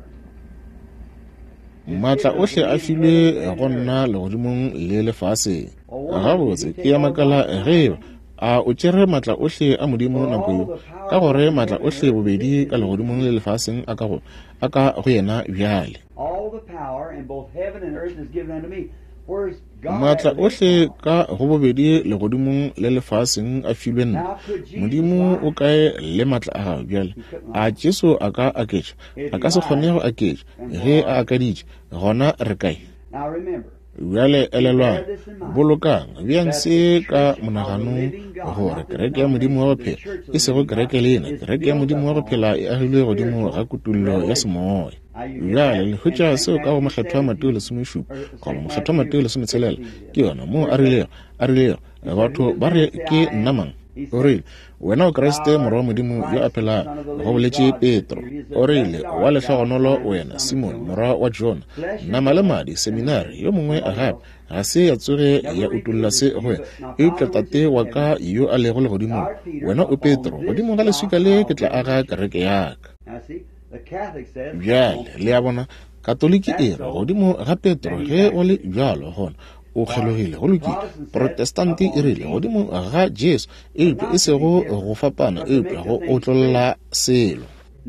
Maatla ohle a filwe go nna legodimong le lefaseng. Gabotse, ke ya makala ge eba a o tšere maatla ohle a Modimo nako yeo, ka gore maatla ohle bobedi ka legodimong le lefaseng a ka go a ka go yena bjale. All the power in both heaven and earth is given unto me. Where's God Maatla at with his ohle power? ka go bobedi legodimong le lefaseng a filwe nna. Now could Jesus Modimo o lie? kae le maatla a gagwe bjale? He couldn't A lie. Jesu a ka aketša? If A he ka se kgone lied, go aketša. then Ge where a are we? akaditše, gona re kae? Now remember, Bjale you bear elelwang, this in mind, bolokang, beang that the se ka church of the monaganong living God, gore not the kereke ya Modimo wa go denomination, the phela, church of e the sego living God, kereke lena, is kereke ya built Modimo wa go upon phela e agilwe godimo ga spiritual kutollo ya revelation. semoya. Now you get Bjale that le in hwetša Saint seo ka go Matthew Mokgethwa Mateo seventeen, lesomešupa or goba Saint Mokgethwa Matthew Mateo lesometselela, sixteen. ke yona moo a Where's that? rilego, a rilego, He said, Who batho does ba man re say ke I nna am? mang? He O said, rile, wena o Kriste Thou morwa wa art the Modimo yo a Christ, the phelago, Son of the go living boletše God, said Petro. Peter. He said, O rile, Blessed wa art thou, lehlogonolo Simon, wena son of Simon Jonah. morwa wa Jona. Flesh and Nama le blood madi, seminari yo mongwe nobody gape else. ga se ya tsoge Never ya utolla revealed se it to go you, wena, but my eupša Father which Tate is wa in ka heaven. yo a lego Thou legodimong. art Peter, Wena o upon Petro, this godimo ga leswika rock le I'll ke tla build my aga church. kereke ya ka. Now see, the Catholic says Bjale on le a bona, Katoliki That's e re so godimo ga Petro that he's ge go le actually bjalo gona O kgelogile. Go lokile. Protestante e rile godimo ga Jesu, eupša e sego go fapana, eupša go otlolla selo.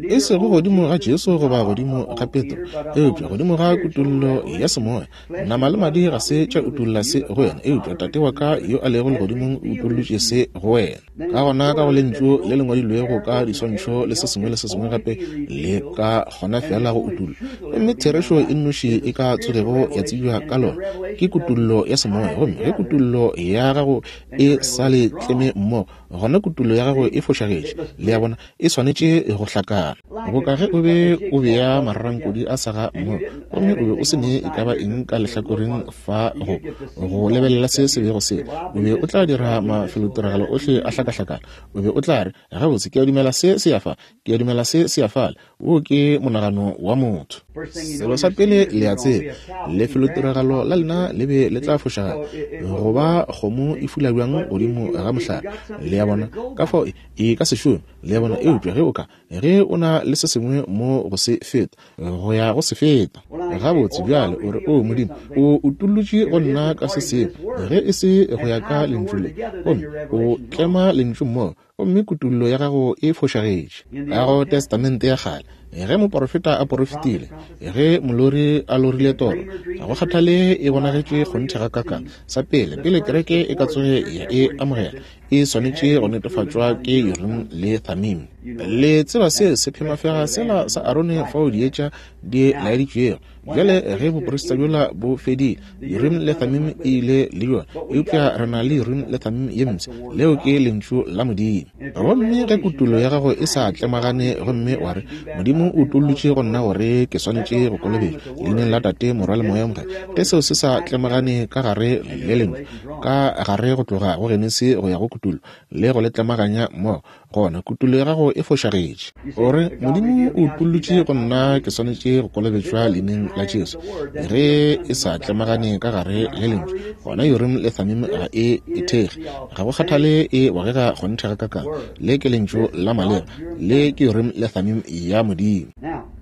E sego godimo ga Jesu goba godimo ga Petro, eupša godimo ga kutollo ya semoya. Nama le madi ga se tša utolla se go wena, eupša Tate wa ka yo a lego legodimong o utollotše se go wena. Ka gona ka go lentšu le le ngwadilwego ka diswantšho le se sengwe le se sengwe gape, le ka kgona fela go utolla. Gomme therešo e nnoši e ka tsogego ya tsebja ka lona ke kutollo ya semoya. Gomme ge kutollo ya gago e sa le tleme mmogo, gona kutollo ya gago e fošagetše. Le a bona, e swanetše go hlakana. Boka ge o be o bea mararankodi a saga mmogo, gomme o be o se ne e ka ba eng ka lehlakoreng fa go go lebelela se se bego se, o be o tla dira mafelotiragalo ohle a hlakahlakana. O be o tla re, gabotse, ke a dumela se se ya fa, ke a dumela se se ya fale. Wo ke monagano wa motho. Selo sa pele le a tseba, lefelotiragalo la lena le be le tla fošagala, goba kgomo e fula bjang godimo ga mohlare. Le a bona, ka fao e ka se šome. Le a bona, eupša ge o ka, ge o na le se sengwe mo go se feta, go ya go se feta. Gabotse bjale o re, o Modimo, o utollotše go nna ka se sengwe, ge e se go ya ka lentšu le, gomme o tlema lentšu mmogo, gomme kutollo ya gago e fošagetše. Ka go Testamente ya kgale, ge moporofeta a porofetile, ge molori a lorile toro, ga go kgathale e bonagetše kgonthe ga kakang. Sa pele, pele kereke e ka tsoge ya e amogela, e swanetše go netefatšwa ke Urim le Thummim. Le tseba se sephemafega sela sa Arone fao dietša di laeditšwego. Bjale ge boporista bjola bo fedile, Urim le Thummim e ile le yona, eupša re na le Urim le Thummim ye mpsha. Leo ke lentšu la Modimo. Gomme ge kutollo ya gago e sa tlemagane, gomme wa re, Modimo o utollotše go nna gore ke swanetše go kolobetšwa leineng la Tate, Morwa le Moya o Mokgethwa, ge seo se sa tlemagane ka gare le lentšu, ka gare go tloga go Genesi go ya go kutollo, le go le tlemaganya mmogo, gona kutollo ya gago e fošagetše. O re, Modimo o utollotše go nna ke swanetše go kolobetšwa leineng la Jesu. Ge e sa tlemagane ka gare le lentšu, gona Urim le Thummim ga e e thekge. Ga go kgathale e bogega kgonthe ga kakang. Le ke lentšu la maleba, le ke Urim le Thummim ya Modimo.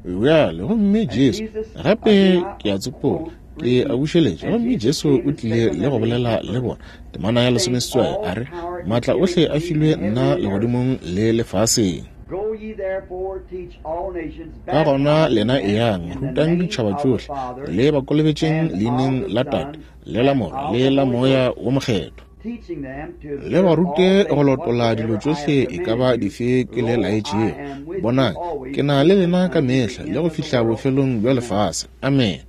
Bjale, gomme Jesu, gape ke a tsopola, ke a bušeletša, gomme Jesu o tlile le go bolela le bona. Temana ya lesomeseswai a re, maatla ohle a filwe nna legodimong le lefaseng. Ka gona lena eyang, rutang ditšhaba tšohle, le ba kolobetšeng leineng la Tate, le la Morwa, le la Moya wo Mokgethwa. Le ba rute go lotola dilo tšohle e ka ba dife ke le laetšego. Bonang, ke na le lena ka mehla le go fihla bofelong bja lefase. Amen.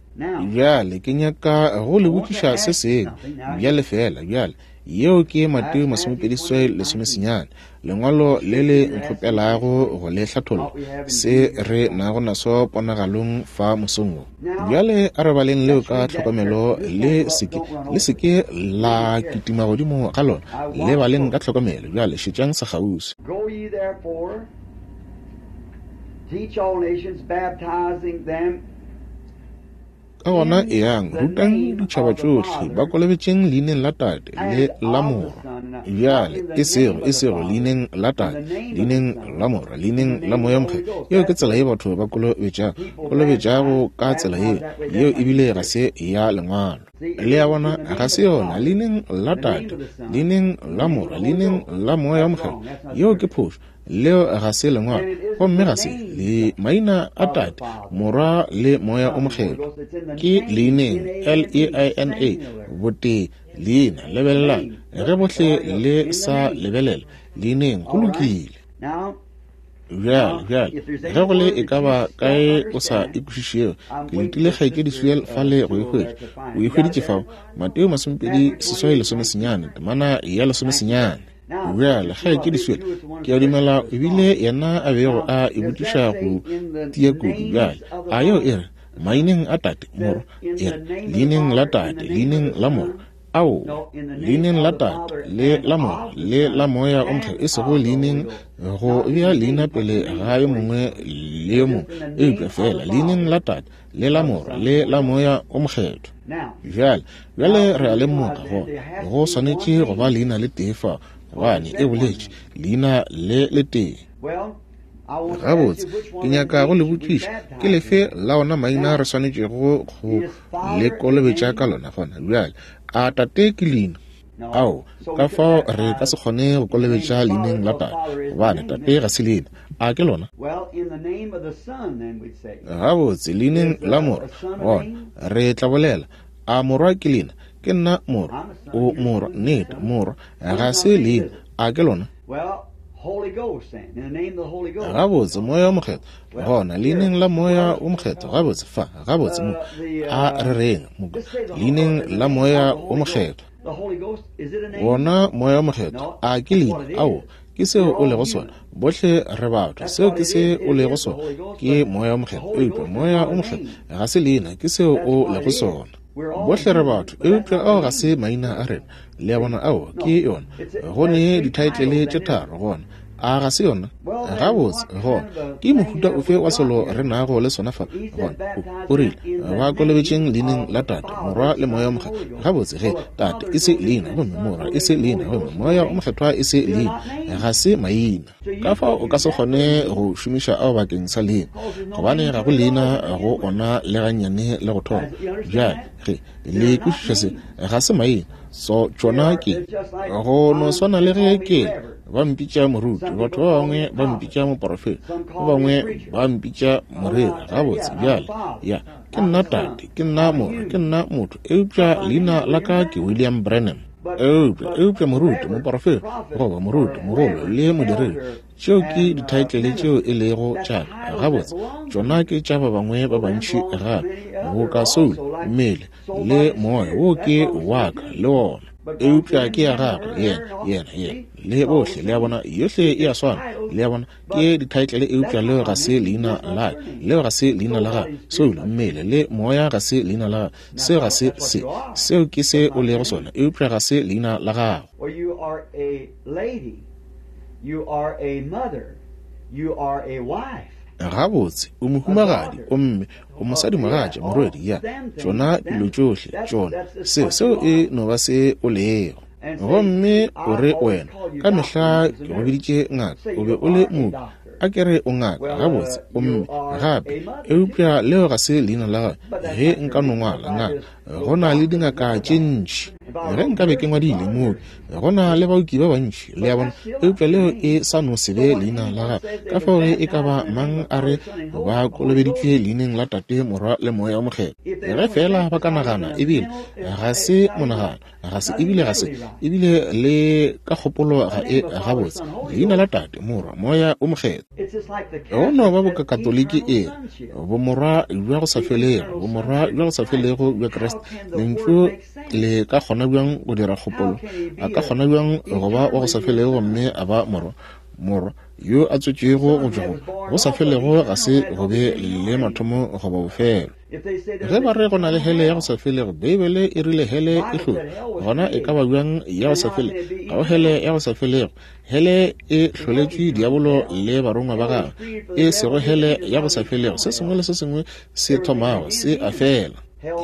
Bjale ke nyaka go le botšiša se sengwe bjale fela. Bjale yeo ke Mateo masomepedi seswai lesomesenyane, lengwalo le le nkgopelago go le hlatholla se re nago naso ponagalong fa mosong wo. Bjale a re baleng leo ka tlhokomelo, le seke le seke la kitima godimo ga lona, le baleng ka tlhokomelo. Bjale šetšang sekgauswi. Go ye therefore, teach all nations, baptizing them Ka gona eyang, rutang ditšhaba tšohle, ba kolobetšeng leineng la Tate le la Morwa. Bjale, e sego, e sego leineng la Tate, leineng la Morwa, leineng la Moya o Mokgethwa. Yeo ke tsela ye batho ba kolobetšago, kolobetšago ka tsela yeo. Yeo ebile ga se ya lengwalo. Le a bona, ga se yona. Leineng la Tate, leineng la Morwa, leineng la Moya o Mokgethwa. Yeo ke phošo. Leo ga se lengwalo, gomme ga se le maina a Tate, Morwa le Moya o Mokgethwa. Ke leineng, L E I N A, botee, leina. Lebelelang, ge bohle le sa lebelela leineng, go lokile. Bjale, bjale, ge go le e ka ba kae o sa e kwešišego, ke letile kgaetšedi Sewell fale go e hwetša. O e hweditše fao, Mateo masomepedi seswai lesomesenyane, temana ya lesomesenyane. Bjale, kgaetšedi Sewell, ke a dumela ebile yena a bego a e botšiša go tia kudu. Bjale, a yeo e re maineng a Tate, Morwa, e re leineng la Tate, leineng la Morwa, ao, leineng la Tate, le la Morwa, le la Moya o Mokgethwa, e sego leineng go bea leina pele ga yo mongwe le yo mongwe, eupša fela leineng la Tate, le la Morwa, le la Moya o Mokgethwa. Bjale, bjale re a lemoga gore go swanetše go ba leina le tee fa, gobane e boletše leina le le tee. Gabotse, ke nyaka go le botšiša, ke lefe la ona maina re swanetšego go le kolobetša ka lona gona bjale? A tate ke leina? Ao, ka fao re ka se kgone go kolobetša leineng la tate, gobane tate ga se leina. A ke lona? Gabotse, leineng la morwa, gona re tla bolela. A morwa ke leina? Ke nna morwa. O morwa, nnete, morwa ga se leina. A ke lona? Gabotse, moya o mokgethwa, gona leineng la moya o mokgethwa. Gabotse, fa, gabotse mo, a re reng mo, leineng la moya o mokgethwa. Wona moya o mokgethwa, a ke leina? Ao, ke seo o lego sona. Bohle re batho, seo ke se o lego sona, ke moya o mokgethwa. Eupša moya o mokgethwa ga se leina, ke seo o lego sona. Bohle re batho, eupša ao ga se maina a rena. Le a bona? Ao ke yona. Go ne dithaetlele tše tharo gona. A ga se yona? Gabotse, gona ke mohuta ofe wa selo re nago le sona fa? Gona o rile, ba kolobetšeng leineng la Tate, Morwa le Moya o Mokgethwa. Gabotse, ge Tate e se leina, gomme Morwa e se leina, gomme Moya o Mokgethwa e se leina, ga se maina. Ka fao o ka se kgone go šomiša ao bakeng sa leina, gobane ga go leina go ona le gannyane le go thoma. Bjale ge le kwešiša se, ga se maina, so tšona ke go no swana le ge ke ba mpitša moruti, batho ba bangwe ba mpitša moporofeta, ba bangwe ba mpitša moreri. Gabotse, bjale ya, ke nna tate, ke nna morwa, ke nna motho, eupša leina la ka ke William Branham. Eupša, eupša moruti, moporofeta, goba moruti, mogolo le modiredi, tšeo ke dithaetlele tšeo e lego tša ka. Gabotse, tšona ke tša ba bangwe ba bantši gape, boka soul, mmele le moya, wo ke wa ka le wona. Eupša ke ya gagwe, yena, yena, yena, le bohle. Le a bona, yohle e a swana. Le a bona, ke dithaetlele, eupša leo ga se leina la ka, leo ga se leina la gagwe. Soul, mmele le moya ga se leina la gagwe. Seo ga se se, seo ke se o lego sona, eupša ga se leina la gago. You are a lady, you are a mother, you are a wife. Gabotse, o mohumagadi, o mme, o mosadimogatša, morwedi, ya tšona dilo tšohle, tšona seo, seo e no ba se o lego. Gomme o re wena, ka mehla ke go biditše ngaka, o be o le mooki, a ke re o ngaka. Gabotse, o mme gape, eupša leo ga se leina la gagwe. Ge nka no ngwala ngaka, go na le dingaka tše ntši. Ge nka be ke ngwadile mooki, go na le baoki ba bantši. Le a bona, eupša leo e sa no se be leina la gagwe. Ka fao ge e ka ba mang a re ba kolobeditšwe leineng la Tate, Morwa le Moya o Mokgethwa, ge fela ba ka nagana, ebile ga se monagano, ga se ebile ga se ebile le ka kgopolo ga e gabotse, leina la Tate, Morwa, Moya o Mokgethwa. Go no ba bokatoliki e bomorwa bja go sa felego, bomorwa bja go sa felego bja Kriste. Lentšu le ka kgona bjang go dira kgopolo? A ka kgona bjang go ba wa go sa felego gomme a ba morwa? Morwa yo a tswetšwego go tšwa go go sa felego ga se go be le mathomo goba bofelo. Ge ba re go na le hele ya go sa felego, Beibele e rile hele e hlotšwe, gona e ka ba bjang ya go sa felego? Ga go hele ya go sa felego. Hele e hloletšwe diabolo le barongwa ba gagwe, e sego hele ya go sa felego. Se sengwe le se sengwe se thomago se a fela.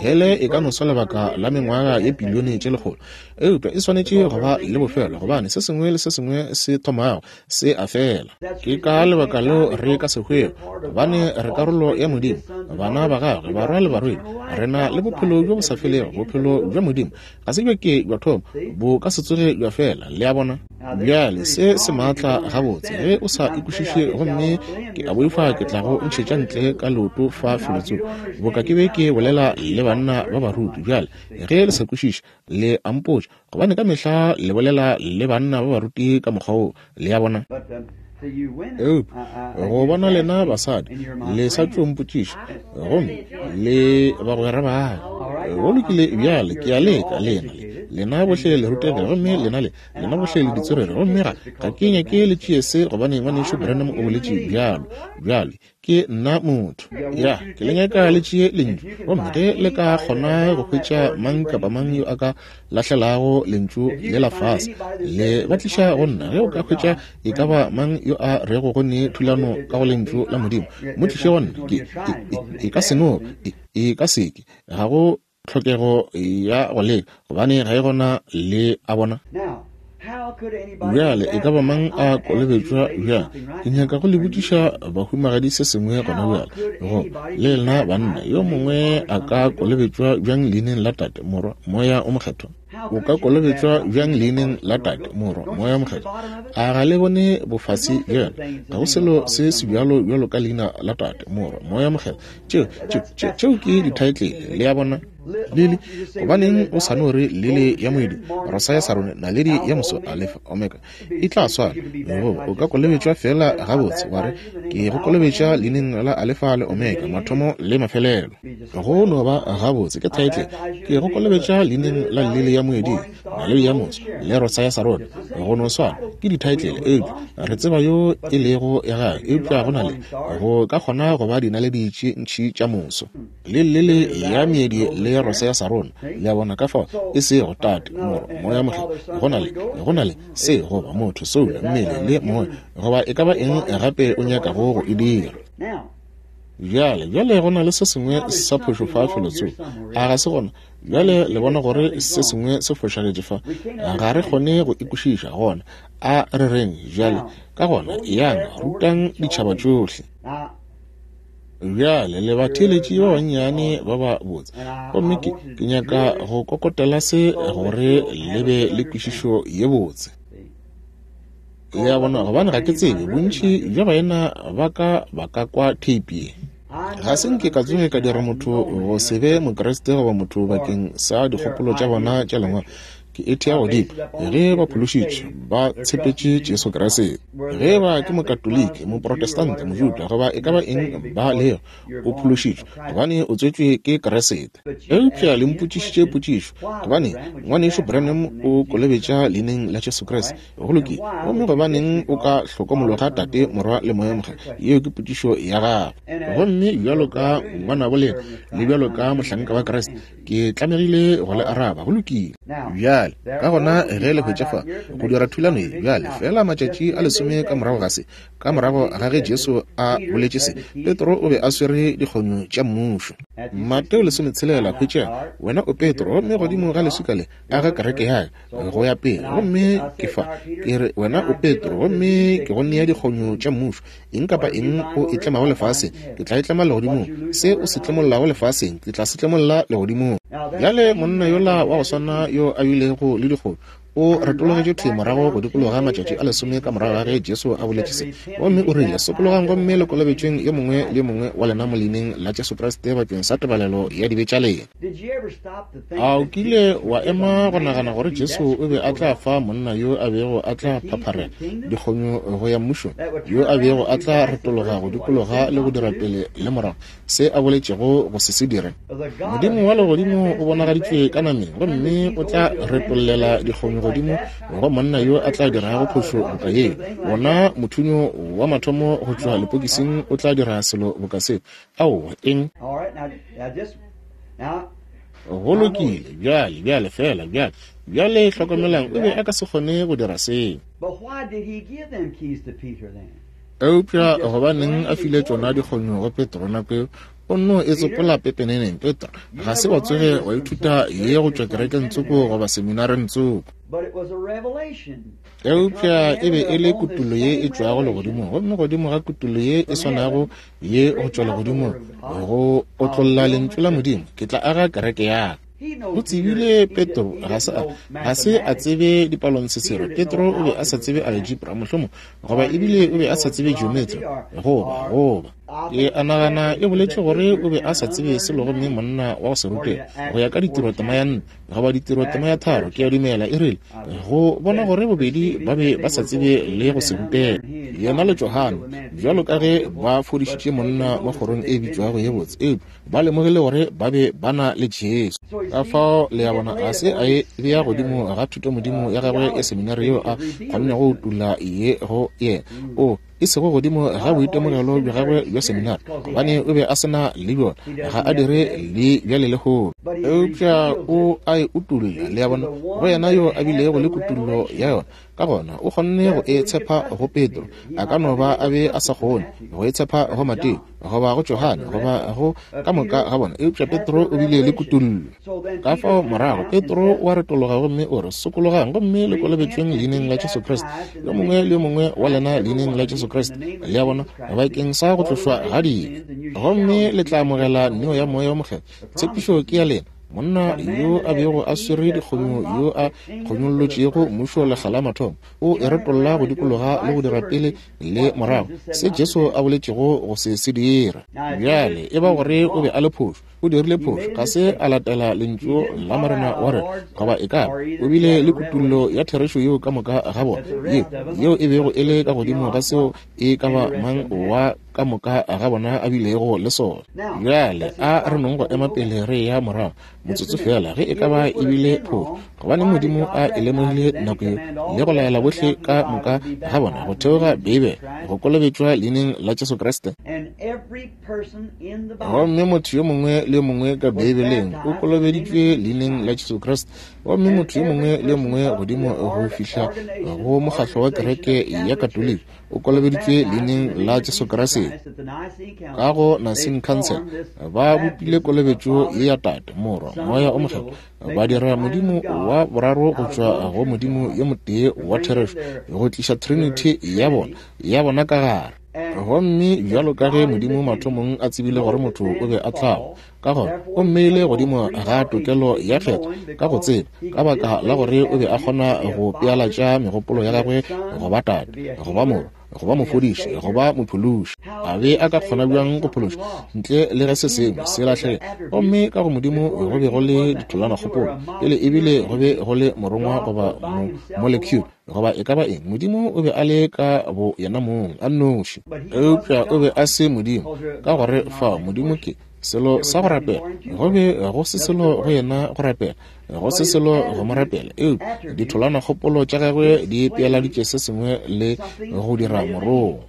Hele e ka no swa lebaka la mengwaga ye pilione tše lekgolo, eupša e swanetše go ba le bofelo, gobane se sengwe le se sengwe se thomago se a fela. Ke ka lebaka leo re ka se hwego, gobane re karolo ya Modimo, bana ba gagwe, barwa le barwedi. Re na le bophelo bjo bo sa felego, bophelo bja Modimo ga se bja ke bja thoma, bo ka se tsoge bja fela. Le a bona? Bjale se se maatla gabotse. Ge o sa ikwešiše, gomme ke a boifa ke tla go ntšhetša ntle ka leoto fa felotsoko, boka ke be ke bolela le banna ba baruti. Bjale ge le sa kwešiše, le a mpotša, gobane ka mehla le bolela le banna ba baruti ka mokgwa wo. Le a bona? Eupša go bona lena basadi le sa tšo mpotšiša, gomme le bagwera ba ka. Go lokile, bjale ke a leka lena le lena bohle le rutege, gomme lena le lena bohle le ditswerere, gomme ga ga ke nyake le tšee se, gobane ngwanešu Branham o boletše bjalo. Bjale ke nna motho, ya ke le nyaka le tšee lentšu, gomme ge le ka kgona go hwetša mang kapa mang yo a ka lahlelago lentšu le la fase, le ba tliša go nna. Ge o ka hwetša e ka ba mang yo a rego go ne thulano ka go lentšu la Modimo, mo tliše go nna. Ke e ka se no, e ka se ke, ga go tlhokego ya go leka, gobane ga e gona. Le a bona? Bjale e ka ba mang a kolobetšwa bjang? Ke nyaka go le botšiša bahumagadi se sengwe gona bjale. Go le lena banna, yo mongwe a ka kolobetšwa bjang leineng la Tate, Morwa, Moya o Mokgethwa? O ka kolobetšwa bjang leineng la Tate, Morwa, Moya o Mokgethwa? A ga le bone bofase bjale? Ga go selo se sebjalo bjalo ka leina la Tate, Morwa, Moya o Mokgethwa. Tšeo, tšeo, tšeo ke dithaetlele, le a bona? Lili, gobaneng o sa no re lili ya moedi, rosa ya sarone, naledi ya moso, Alfa, Omega, e tla swana. Goba o ka kolobetšwa feela gabotse wa re, ke go kolobetša leineng la Alfa le Omega, mathomo le mafelelo. Go no ba gabotse, ke thaetlele. Ke go kolobetša leineng la lili ya moedi, naledi ya moso, le rosa ya sarone. Go no swana, ke dithaetlele, eupša re tseba yo e lego ya gage. Eupša go na le, go ka kgona go ba dinaledi tše ntši tša moso, le lili ya meedi le rosa ya sarone. Le a bona? Ka fao e sego Tate, Morwa, Moya Mokgethwa. Go na le, go na le se goba motho, soulo, mmele le moya, goba e ka ba eng gape o nyakago go e dira. Bjale, bjale go na le se sengwe sa phošo fa felotsoko, a ga se gona? Bjale le bona gore se sengwe se fošagetše fa, ga re kgone go ikwešiša. Gona a re reng bjale, ka gona yang rutang ditšhaba tšohle. Bjale le batheeletši ba bannyane ba ba botse, gomme ke, ke nyaka go kokotela se gore le be le kwešišo ye botse. Le a bona? Gobane ga ke tsebe bontši bja baena ba ka ba ka kwa theipi ye. Ga se nke ka tsoge ka dira motho go se be Mokriste goba motho bakeng sa dikgopolo tša bona tša lengwalo. Ke e thea godimo ge ba phološitšwe, ba tshepetše Jesu Kriste. Ge ba ke Mokatoliki, Moprotestante, Mojuda, goba e ka ba eng ba lego, o phološitšwe gobane o tswetšwe ke Kriste. Eupša le mpotšišitše potšišo, gobane ngwanešu Branham o kolobetša leineng la Jesu Kriste. Go lokile. Gomme gobaneng o ka hlokomologa Tate, Morwa le Moya Mokgethwa? Yeo ke potšišo ya gago. Gomme bjalo ka ngwanabo lena le bjalo ka mohlanka wa Kriste, ke tlamegile go le araba. Go lokile. Bjale ka gona ge le hwetša fa go dira thulano ye, bjale fela matšatši a lesome ka morago ga se, ka morago ga ge Jesu a boletše se, Petro o be a swere dikgonyo tša mmušo. Mateo lesometshelela, hwetša, wena o Petro, gomme godimo ga leswika le aga kereke ya ka, go ya pele. Gomme ke fa ke re wena o Petro, gomme ke go nea dikgonyo tša mmušo. Eng kapa eng o e tlemago lefaseng, ke tla e tlema legodimong. Se o se tlemollago lefaseng, ke tla se tlemolla legodimong. Bjale monna yola wa go swana yo a bilego le dikgonyo o retologetše thwi morago go dikologa matšatši a lesome ka morago ga ge Jesu a boletše se, gomme o rile, sokologang gomme le kolobetšweng yo mongwe le yo mongwe wa lena mo leineng la Jesu Kriste bakeng sa tebalelo ya dibe tša lena. A o kile wa ema go nagana gore Jesu o be a tla fa monna yo a bego a tla phapharela dikgonyo go ya mmušong, yo a bego a tla retologa go dikologa le go dira pele le morago se a boletšego go se se dire? Modimo wa legodimo o bonagaditšwe ka nameng, gomme o tla retollela dikgonyo godimo go monna yo a tla dirago phošo boka yeo. Wona mothunyo wa mathomo go tšwa lepokising o tla dira selo boka seo. Aowa, eng? Go lokile. Bjale, bjale, fela bjale, bjale hlokomelang, o be a ka se kgone go dira seo. Eupša gobaneng a file tšona dikgonyo go Petro nako eo? O nno e tsopola pepeneneng. Petro, ga se wa tsoge wa ithuta ye go tšwa kerekeng tsoko goba seminareng tsoko. Eupša e be e le kutullo ye e tšwago legodimong, gomme godimo ga kutullo ye e swanago ye go tšwa legodimong, go otlolla lentšu la Modimo, ke tla aga kereke ya ka. O tsebile Petro ga se a, ga se a tsebe dipalontshetsero. Petro o be a sa tsebe algebra mohlomong, goba ebile o be a sa tsebe geometry, goba goba ke a nagana e boletše gore o be a sa tsebe selo, gomme monna wa go se rutega go ya ka ditiro tema ya nne goba ditiro tema ya tharo, ke a dumela e rile go bona gore bobedi ba be ba sa tsebe le go se rutega. Yena le Johane, bjalo ka ge ba fodišitše monna mo kgorong e bitšwago ye botse, eupša ba lemogile gore ba be ba na le Jesu. Ka fao le a bona, ga se a e bea godimo ga thutomodimo ya gagwe ya seminari yeo a kgonnego go utolla ye go yena, o e sego godimo ga boitemogelo bja gagwe bja seminari, gobane o be a se na le bjona, ga a dire le bjale lehono. Eupša o a a e utolla, le a bona, go yena yo a bilego le kutollo ya yona. Ka gona o kgonne go e tshepa go Petro, a ka no ba a be a sa kgone go e tshepa go Mateo goba go Johane goba go ka moka ga bona, eupša Petro o bile le kutollo. Ka fao morago Petro wa retologa gomme o re, sokologang gomme le kolobetšweng leineng la Jesu Kriste, yo mongwe le yo mongwe wa lena leineng la Jesu Kriste, le a bona, bakeng sa go tlošwa ga dibe, gomme le tla amogela neo ya Moya o Mokgethwa. Tshepišo ke ya lena. Monna yo a bego a swere dikgonyo yo a kgonyollotšego mmušo lekga la mathomo o e retolla go dikologa le go dira pele le morago se Jesu a boletšego go se se dira. Bjale e ba gore o be a le phošo, o dirile phošo, ga se a latela lentšu la Morena wa rena, goba e ka o bile le kutullo ya therešo yeo ka moka ga bona, yeo yeo e bego e le ka godimo ga seo e ka ba mang wa ka moka ga bona a bilego le sona. Bjale a re nong go ema pele re ya morago motsotso fela, ge e ka ba e bile phošo, gobane Modimo a e lemogile nako yeo le go laela bohle ka moka ga bona go theoga Beibele go kolobetšwa leineng la Jesu Kriste. Gomme motho yo mongwe le yo mongwe ka Beibeleng o kolobeditšwe leineng la Jesu Kriste, gomme motho yo mongwe le yo mongwe godimo go fihla go mokgahlo wa kereke ya Katoliki o kolobeditšwe leineng la Jesu Kriste. Ka go Nicene Council ba bopile kolobetšo ye ya Tate, Morwa, Moya o Mokgethwa, ba dira Modimo wa boraro go tšwa go Modimo yo motee wa therešo, go tliša Trinity ya bona ya bona ka gare. Gomme bjalo ka ge Modimo mathomong a tsebile gore motho o be a tla wa, ka gona o mmeile godimo ga tokelo ya kgetho ka go tseba, ka baka la gore o be a kgona go pealatša megopolo ya gagwe go ba Tate, go ba Morwa, go ba mofodiši, go ba mophološi. A be a ka kgona bjang go phološa ntle le ge se sengwe se lahlega? Gomme ka go Modimo go be go le ditholanakgopolo pele ebile go be go le morongwa goba molecule goba e ka ba eng. Modimo o be a le ka bo yena mong a nnoši, eupša o be a se Modimo, ka gore fao Modimo ke selo sa go rapela. Go be go se selo go yena go rapela, go se selo go mo rapela, eupša ditholanakgopolo tša gagwe di pealaditše se sengwe le go dira morongwa.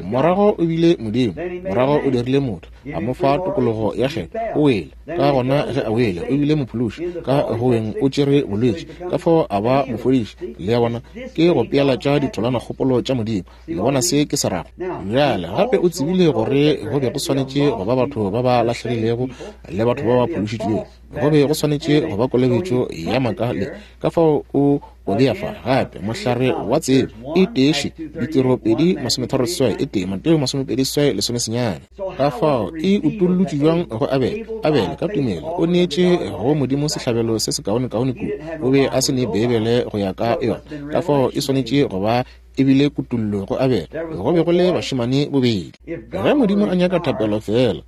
Morago o bile Modimo, morago o dirile motho, a mo fa tokologo ya kgetho, o wele. Ka gona ge a wele, o bile mophološi, ka go weng o tšere bolwetši, ka fao a ba mofodiši. Le a bona, ke go pealatša ditholanakgopolo tša Modimo. Le bona se ke se rago? Bjale gape o tsebile gore go be go swanetše go ba batho ba ba lahlegilego le batho ba ba phološitšwego, go be go swanetše go ba kolobetšo ya maaka le ka fao o o bea fa gape mohlare wa tsebo e teše ditiro pedi masometharo seswai e tee Mateo masomepedi seswai lesome senyane. Ka fao e utollotšwe bjang go Abele? Abele ka tumelo o neetše go Modimo sehlabelo se sekaonekaone kudu. O be a se ne Beibele go ya ka yona, ka fao e swanetše go ba ebile kutollo go Abele. Go be go le bašemane bobedi. Ge Modimo a nyaka thapelo fela,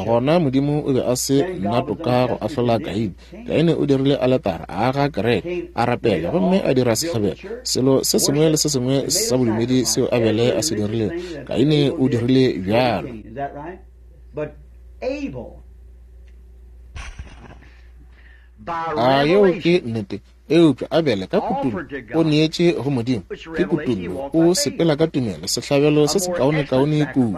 gona Modimo o be a se na toka go ahlola Kaine. Kaine o dirile aletara, a aga kereke, a rapela gomme a dira sehlabelo. Selo se sengwe le se sengwe sa bodumedi seo Abele a se dirilego, Kaine o dirile bjalo. A yeo ke nnete? Eupša Abele ka kutullo o neetše go Modimo. Ke kutullo, o sepela ka tumelo, sehlabelo se sekaonekaone kudu.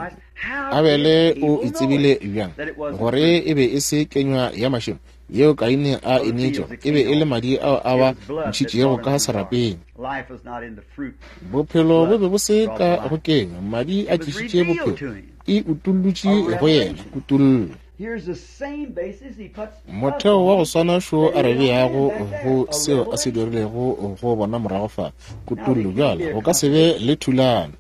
Abele o e tsebile bjang gore e be e se kenywa ya mašemo yeo Kaine a e neetšego, e be e le madi ao a ba ntšhitšego ka serapeng. Bophelo bo be bo se ka go kenywa, madi a tlišitše bophelo. E utollotše go yena kutullo. Motheo wa go swana šo a re beago go seo a se dirilego go bona morago fa kutullo. Bjale go ka se be le thulano.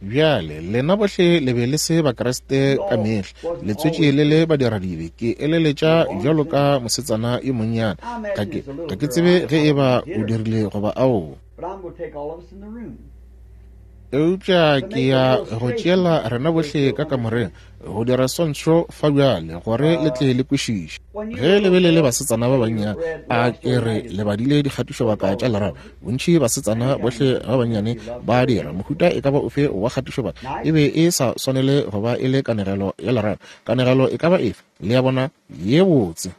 Bjale lena bohle le be le se Bakriste ka mehla, le tswetše le le badiradibe. Ke eleletša bjalo ka mosetsana yo monnyane, ga ke ga ke tsebe ge e ba o dirile goba aowa, eupša ke ya go tšeela rena bohle ka kamoreng go dira swantšho fa bjale gore le tle le kwešiše. Ge le be le le basetsana ba bannyane, a ke re le badile dikgatišobaka tša lerato. Bontši basetsana bohle ba bannyane ba dira mohuta e ka ba ofe wa kgatišobaka, e be e sa swanele go ba e le kanegelo ya lerato. Kanegelo e ka ba efe, le ya bona ye botse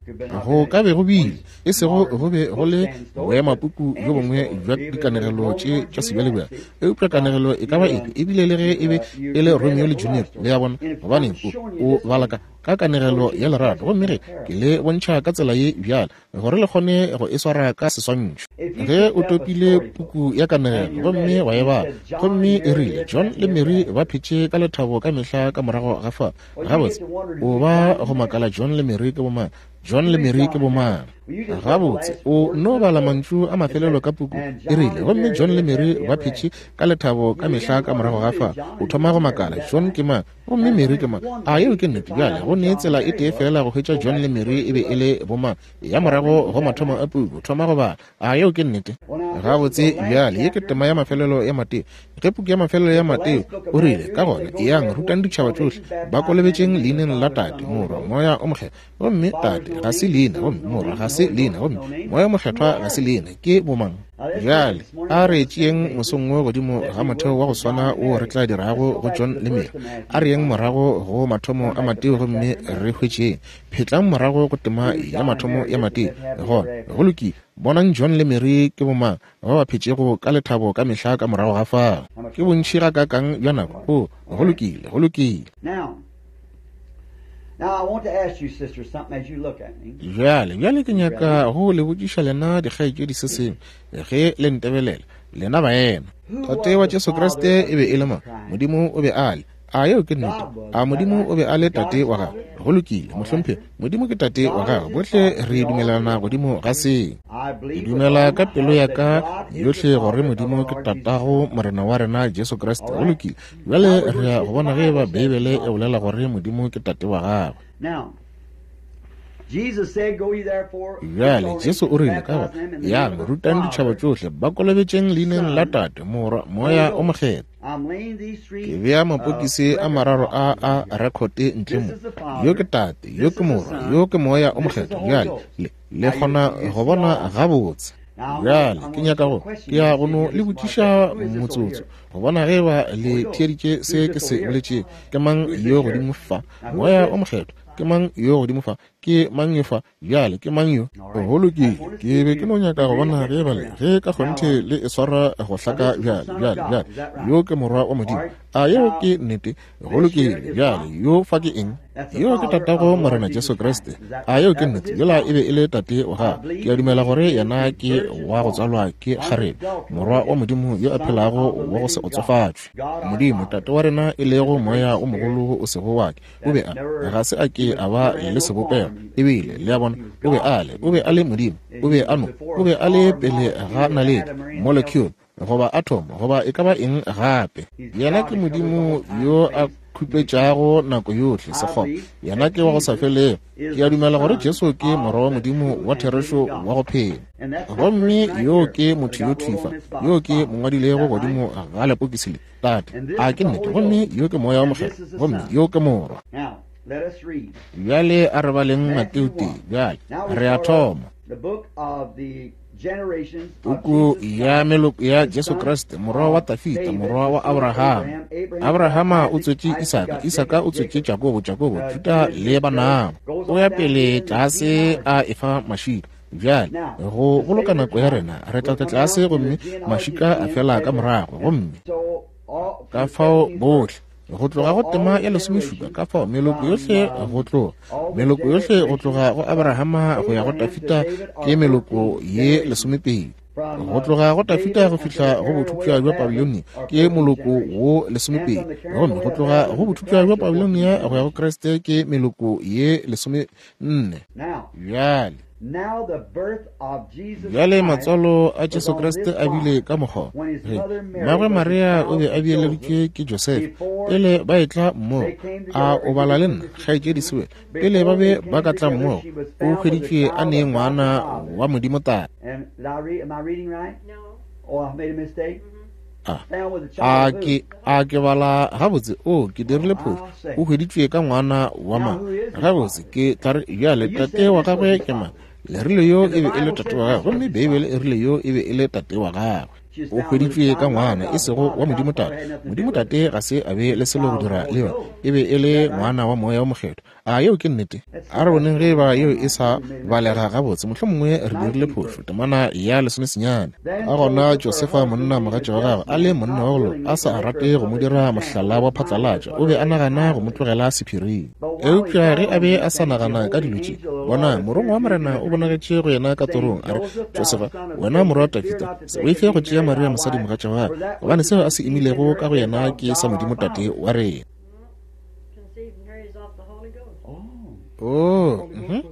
go ka be go bile, e sego go be go le boemapuku bjo bongwe bja dikanegelo tše tša sebjalebjale, eupša kanegelo e ka ba efe, ebile le ge e be e le Romeo le Juliet, le ya bona, gobaneng O, o bala ka, ka kanegelo ya lerato, gomme ge ke le bontšha ka tsela ye bjale, gore le kgone go e swara ka seswantšho. Ge o topile puku ya kanegelo gomme wa e bala, gomme e rile John le Mary ba phetše ka lethabo ka mehla ka morago ga fa, gabotse o ba go makala John le Mary ke bomang? John le Mary ke bomang? Gabotse o no bala mantšu a mafelelo ka puku, e rile gomme John le Mary ba phetše ka lethabo ka mehla ka morago ga fa. O thoma go makala, John ke mang gomme Mary ke mang? A yeo ke nnete? Bjale go ne tsela e tee fela go hwetša John le Mary e be e le bomang, ya morago go mathomo a puku, thoma go bala. A yeo ke nnete? Gabotse bjale ye ke tema ya mafelelo ya Mateo. Ge puku ya mafelelo ya Mateo o rile, ka gona eyang rutang ditšhaba tšohle, ba kolobetšeng leineng la Tate, Morwa, Moya o Mokgethwa. Gomme Tate ga se leina, gomme Morwa ga se leina, gomme Moya o Mokgethwa ga se leina, ke bomang? Bjale a re tšeeng mosong wo godimo ga motheo wa go swana wo re tla dirago go John le Mary. A re yeng morago go mathomo a Mateo gomme re hwetšeng. Phetlang morago go tema ya mathomo ya Mateo. Gona go lokile. Bonang John le Mary ke bomang ba ba phetšego ka lethabo ka mehla ka morago ga fao. Ke bontši gakaakang bja nako? O, go lokile, go lokile. Now I want to ask you, sister, something as you look at me. Bjale, bjale ke nyaka go le botšiša lena dikgaetšedi se sengwe ge le ntebelela, lena baena. Tate wa Jesu Kriste e be e le mang? Modimo o be a le. A yeo ke nnete? A Modimo o be a le tate wa gagwe? Go lokile, mohlomphegi, Modimo ke tate wa gagwe. Bohle re dumelana godimo ga se. Ke dumela ka pelo ya ka yohle gore Modimo ke tatago Morena wa rena Jesu Kriste. Go lokile. Bjale re ya go bona ge eba Beibele e bolela gore Modimo ke tate wa gagwe. Now, Jesus said, Go ye therefore. Bjale Jesu o rile ka gona, yang rutang ditšhaba tšohle, ba kolobetšeng leineng la Tate, Morwa, Moya o Mokgethwa. I'm laying these three Ke bea mapokisi a mararo a a rekhote ntle mo. Yo ke Tate, yo ke Morwa, yo ke Moya o Mokgethwa. Bjale le, le kgona go bona gabotse. Bjale ke nyaka go, ke ya go no le botšiša motsotso go bona ge ba le theeditše se ke se boletšego. Ke mang yo godimo fa? Moya o Mokgethwa. Ke mang yo godimo fa? Ke mang yo fa? Bjale ke mang yo? Go lokile. Ke be ke no nyaka go bona ge ba le, ge ka kgonthe le e swara go hlaka. Bjale, bjale, bjale yo ke Morwa wa Modimo. A yeo ke nnete? Go lokile. Bjale yo fa ke eng? Yo ke tatago Morena Jesu Kriste. A yeo ke nnete? Yola e be e le tate wa gagwe. Ke a dumela gore yena ke wa go tswalwa ke kgarebe, Morwa wa Modimo yo a phelago wa go se otsofatšwe. Modimo Tate wa rena e lego Moya o mogolo o sego wa ke, o be a ga se a ke a ba le sebopego, ebile le a bona, o be a le, o be a le Modimo, o be a no, o be a le pele ga naledi, molecule, goba atom, goba e ka ba eng gape. Yena ke Modimo yo a khupetšago nako yohle sekgopo. Yena ke wa go sa felego. Ke a dumela gore Jesu ke Morwa wa Modimo wa therešo wa go phela. Gomme yo ke motho yo thifa, yo ke mongwadilego godimo ga lepokisi le, Tate. A ke nnete? Gomme yo ke Moya o Mokgethwa, gomme yo ke Morwa. Now, let us read. Bjale a re baleng Mateo tee. Bjale re a thoma. The book of the generations of Puku Jesus ya Christ, meloko ya the Jesu son Kriste, morwa wa of Tafita, David, morwa the wa son of Abrahama. Abraham. Abraham Abrahama got o Isaac, tswetše Isaac Isaka, got Isaka o Jacob, tswetše Jacob Jakobo, Jakobo uh, Juda Judah, le Jacob banabo. goes O ya on down to pele the end of the tlase genealogy. a efa mašika. Bjale Now, go to boloka save the nako ya time, rena, re we'll tla tla come down tlase to the gomme genealogy mašika a again fela ka as a, morago. and Gomme so all ka from the fao seventeenth bohle verse. go tloga So go all tema the ya lesomešupa, generations ka fao meloko from yohle um, go tloga, all the meloko yohle go generations tloga go from Abrahama go ya go Abraham to Tafita David ke are meloko fourteen ye generations. lesomepedi. From Go uh, tloga go Tafita David go unto the fihla go carrying away bothopša of bja Babylon Babilonia are ke fourteen moloko generations. wo And lesomepedi. from the carrying Gomme away go of tloga Babylon go to bothopša bja Christ are fourteen Babilonia go ya go generations. Kriste ke meloko ye lesomenne. Now, Bjale now the birth of Jesus bjale Christ matswalo a was Jesu on Kriste this a bile wise. ka mokgwa When his ge mother Mary mmagwe was Maria o be espoused a to Joseph, beeleditšwe ke Josefa before pele ba etla mmogo. they came A together, o are you bala le listening nna, to Sister kgaetšedi Sewell? Sewell? Pele ba Before be they ba came ka tla together, mmogo, she was o found with the hweditšwe a child ne of God the ngwana Father. wa Modimo Tate. And did I read? Am I reading right? No. Oh, I made a mistake. A Found with the a child of who? ke a ke bala gabotse? O ke dirile Well, phošo. I'll say. O hweditšwe ka ngwana wa Now, mang? who is his Gabotse father? ke tla re bjale You tate said wa this was gagwe his ke mang? father. Le rile yo And e the be e le Bible tate said wa gagwe, this was gomme his Beibele father. e rile yo e be e le tate wa gagwe. She was O found with a hweditšwe ka child, not of ngwana e God the sego Father. wa God Modimo the Father Tate. had nothing to Modimo do with it. Tate ga se a be le selo go Child of the dira Holy le yona, Ghost. e be e Is le that right? ngwana wa Moya o Mokgethwa. A yeo ke nnete? A re boneng ge eba yeo e sa balega gabotse, mohlomongwe re dirile phošo. Temana ya lesomesenyane. Ka gona Josefa monna mogatša wa gagwe, a le monna wa go loka, a sa rate go mo dira mohlala wa phatlalatša, o be a nagana go mo tlogela sephiring. Eupša ge a be a sa nagana ka dilo tše, bona, morongwa wa Morena o bonagetše go yena ka torong, a re, Josefa, wena morwa wa Dafida, se boife go tšea Maria mosadi mogatša wa gagwe, gobane seo a se imilego ka go yena ke sa Modimo Tate wa rena. Oh, mhm.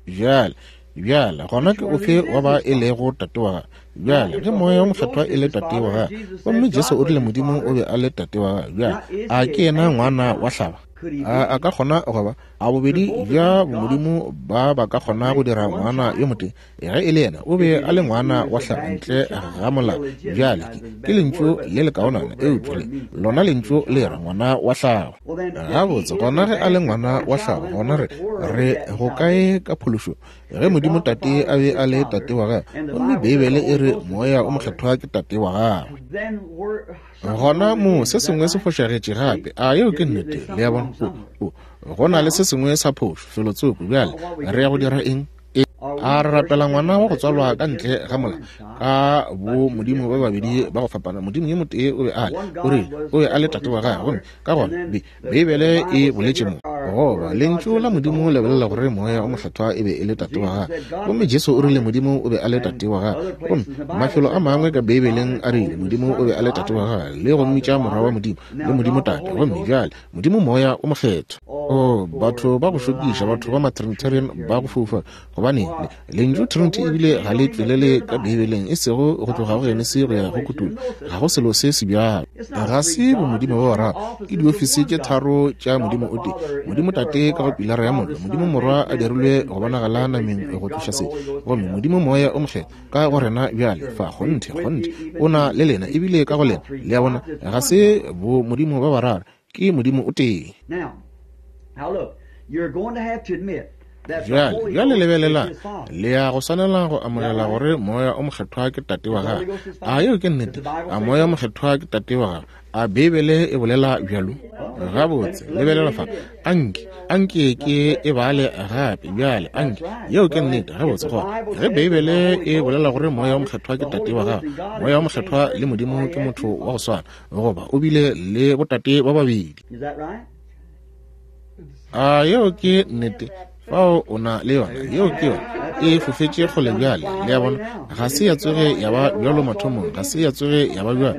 Bjale, bjale, gona ke ofe wa ba e lego tate wa gagwe? Bjale, ge Moya wo Mokgethwa e le tate wa gagwe, gomme Jesu o rile Modimo o be a le tate wa gagwe, bjale, a ke yena ngwana wa hlaba? A a ka kgona go ba? A bobedi bja bomodimo ba ba ka kgona go dira ngwana yo motee? Ge e le yena, o be a le ngwana wa hlaba ntle ga molao. Bjale, ke, ke lentšu le lekaonana, eupša le lona lentšu le ra ngwana wa hlago. Gabotse, gona ge a le ngwana wa hlago, gona re, re go kae ka phološo? Ge Modimo Tate a be a le tate wa gagwe, gomme Beibele e re Moya o Mokgethwa ke tate wa gagwe, gona mo se sengwe se fošagetše gape. A yeo ke nnete? Le a bona? O, o, go na le se sengwe sa phošo felotsoko. Bjale re ya go dira eng? E, a re rapela ngwana wa go tswalwa ka ntle ga molao ka bo modimo ba babedi ba go fapana? Modimo yo motee o be a le, o rile o be a le tate wa gagwe, gomme ka gona Be, Beibele e boletše mo, goba lentšu la Modimo le bolela gore Moya o Mokgethwa e be e le tate wa gagwe, gomme Jesu o rile Modimo o be a le tate wa gagwe, gomme mafelo a mangwe ka Beibeleng a rile Modimo o be a le tate wa gagwe, le go mmitša morwa wa Modimo le Modimo Tate, gomme bjale Modimo Moya o Mokgethwa. Oh, batho ba go šokiša, batho ba ma-Trinitarian ba go fofa, gobane lentšu Trinity ebile ga le tšwelele ka Beibeleng, e sego go tloga go Genesi go ya go Kutullo. Ga go selo se se bjalo. Ga se bomodimo ba bararo, ke diofisi tše tharo tša Modimo o tee. Modimo Tate ka go pilara ya mollo, Modimo Morwa a dirilwe go bonagala nameng go tloša se, gomme Modimo Moya o Mokgethwa ka go rena bjale fa. Kgonthe, kgonthe, o na le lena ebile ka go lena. Le a bona, ga se bomodimo ba bararo, ke Modimo o tee. Bjale, bjale lebelelang, le ya go swanela go amogela gore Moya o Mokgethwa ke tate wa gagwe. A yeo ke nnete? A Moya o Mokgethwa ke tate wa gagwe? A Beibele e bolela bjalo? Gabotse, lebelela fa. Anke, anke ke e bale gape bjale. Anke, yeo ke nnete. Gabotse, gona ge Beibele e bolela gore Moya o Mokgethwa ke tate wa gagwe, Moya o Mokgethwa le Modimo ke motho wa go swana, goba o bile le botate ba babedi. A yeo ke nnete? Fao o na le yona. Yeo ke yona. E fofetše kgole bjale. Le a bona, ga se ya tsoge ya ba bjalo mathomong, ga se ya tsoge ya ba bjalo.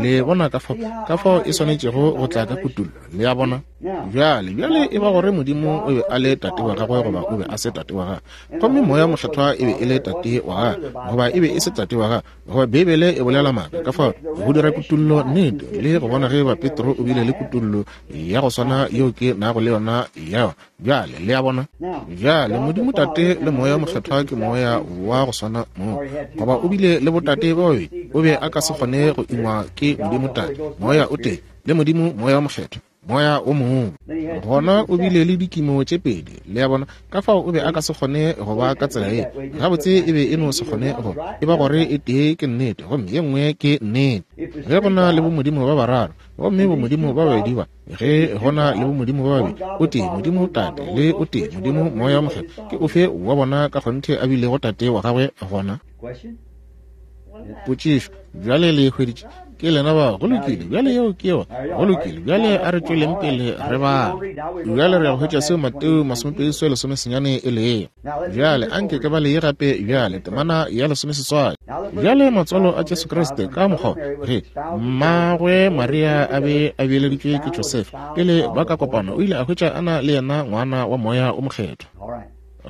Le bona ka fao, ka fao e swanetšego go tla ka kutullo. Le a bona? Bjale, bjale e ba gore Modimo o be a le tate wa gagwe goba o be a se tate wa gagwe, gomme Moya Mokgethwa e be e le tate wa gagwe goba e be e se tate wa gagwe, goba Beibele e bolela maaka. Ka fao go dira kutullo nnete, le go bona ge ba Petro o bile le kutullo ya go swana yeo ke nago le yona ya yona bjale. Le a bona? Bjale Modimo Tate le Moya Mokgethwa ke Moya wa go swana mo, goba o bile le botate ba babedi, o be a ka se kgone go ingwa ke Modimo Tate, Moya o tee, le Modimo Moya Mokgethwa, Moya o mongwe. Gona o bile le dikimo tše pedi. Le a bona? Ka fao o be a ka se kgone go ba ka tsela ye. Gabotse e be e no se kgone go e ba gore e tee ke nnete gomme ye nngwe ke nnete. Ge go na le bomodimo ba bararo, gomme bomodimo ba babedi ba, ge go na le bomodimo ba babedi, o tee Modimo Tate le o tee Modimo Moya Mokgethwa, ke ofe wa bona ka kgonthe a bilego tate wa gagwe gona? Potšišo. Bjale le e hweditše? Ke lena ba. Go lokile. Bjale yeo ke yona. Go lokile. Bjale a re tšweleng pele re bala. Bjale re ya go hwetša seo Mateo masomepedi seswai lesomesenyane e lego. Bjale anke ke bale ye gape bjale, temana ya lesomeseswai. Bjale matswalo a Jesu Kriste ka mokgwa ge mmagwe Maria a be a beeleditšwe ke Josefa, pele ba ka kopana, o ile a hwetša a na le yena ngwana wa Moya o Mokgethwa.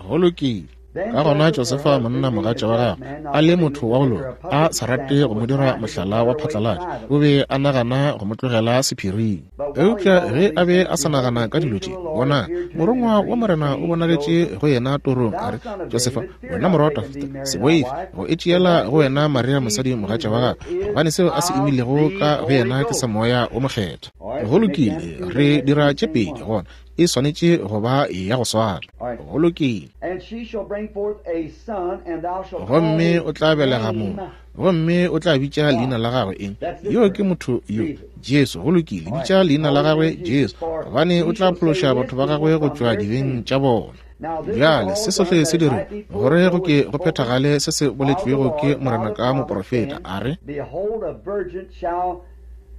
Go lokile. Ka gona Josefa monna mogatša wa gagwe, a le motho wa go loka, a sa rate go mo dira mohlala wa phatlalatša, o be a nagana go mo tlogela sephiring. Eupša ge a be a sa nagana ka dilo tše, bona, morongwa wa Morena o bonagetše go yena torong, a re, Josefa, wena morwa wa Dafida, se boife go e tšeela go wena Maria mosadi mogatša wa gagwe, gobane seo a se imilego ka go yena ke sa Moya o Mokgethwa. Go lokile, re dira tše pedi gona, e swanetše go ba ya go swana. Go lokile. Gomme o tla belega mo, Gomme o tla bitša leina la gagwe eng? Yo ke motho yo, Jesu. Go lokile, bitša leina la gagwe Jesu, gobane o tla phološa batho ba gagwe go tšwa dibeng tša bona. Bjale se sohle se dirilwe gore go ke go phethagale se se boletšwego ke Morena ka moprofeta, a re: Behold, a virgin shall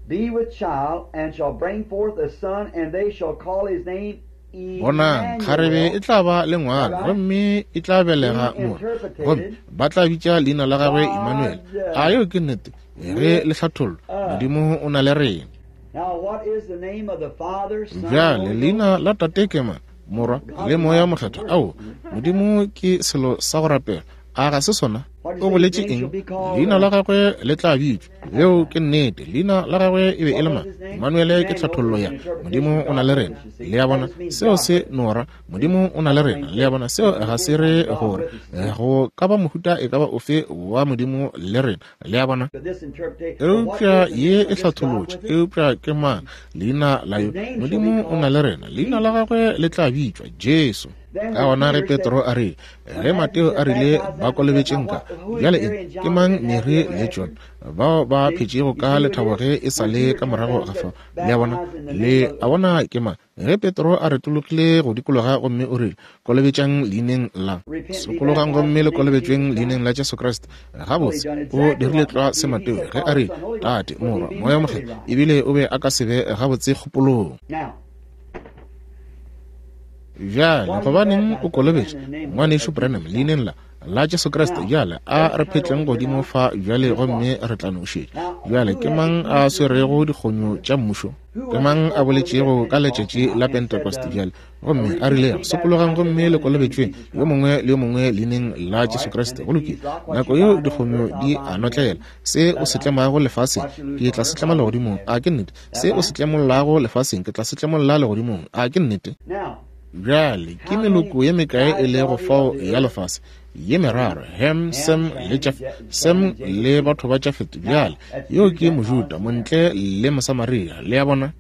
be with child, and shall bring forth a son, and they shall call his name Bonang, kgarebe e tla ba le ngwana, gomme e tla belega morwa, gomme ba tla bitša leina la gagwe Emmanuel. A yeo ke nnete? Ge le hlathollwa, Modimo o na le rena. Now, what is the name of the Father, Son, and Bjale Holy leina Ghost? la Tate ke mang? Morwa le Moya Mokgethwa. Ao, Modimo ke selo sa go rapela. A ga se sona? O boletše eng? Leina la gagwe le tla bitšwa. Yeo ke nnete. Leina la gagwe e be e le mang? Emmanuel ke tlhathollo ya Modimo o na le rena. Le a bona? Seo se nora. Modimo o na le rena. Le a bona? Seo ga se re gore go ka ba mohuta e ka ba ofe wa Modimo le rena. Le a bona? But this interpretation, what Eupša is the ye name e of this God hlatholotše. with it? Eupša ke mang leina la yo? Modimo o na le rena. Leina la gagwe le tla bitšwa Jesu. Ka gona ge Petro a rile, ge Mateo a rile ba kolobetšeng ka, bjale eng? Ke mang Mary le John bao ba phetšego ka lethabo ge e sa le ka morago ga fao? Le a bona? Le a bona ke mang? Ge Petro a retologile go dikologa gomme o rile, kolobetšang leineng la, sokologang gomme le kolobetšweng leineng la Jesu Kriste. Gabotse, o dirile tlwa se Mateo ge a rile, Tate, Morwa, Moya Mokgethwa, ebile o be a ka se be gabotse kgopolong. Now, Bjale, gobaneng o kolobetša ngwanešu Branham leineng la la Jesu Kriste? Bjale a re phetleng godimo fa bjale gomme re tla no šetša. Bjale ke mang a swerego dikgonyo tša mmušo? Ke mang a boletšego ka letšatši la Pentecost bjale gomme a rilego, sokologang gomme le kolobetšweng yo mongwe le yo mongwe leineng la Jesu Kriste? Go lokile, nako yeo dikgonyo di a notlela. Se o se tlemago lefaseng, ke tla se tlema legodimong. A ke nnete? Se o se tlemollago lefaseng, ke tla se tlemolla legodimong. A ke nnete? now, Bjale ke meloko ye mekae e lego fao ya lefase? Ye meraro, Ham, Sem le Jaf, Sem le batho ba Jafet. Bjale yo ke Mojuda, Montle le Mosamaria. Le a bona?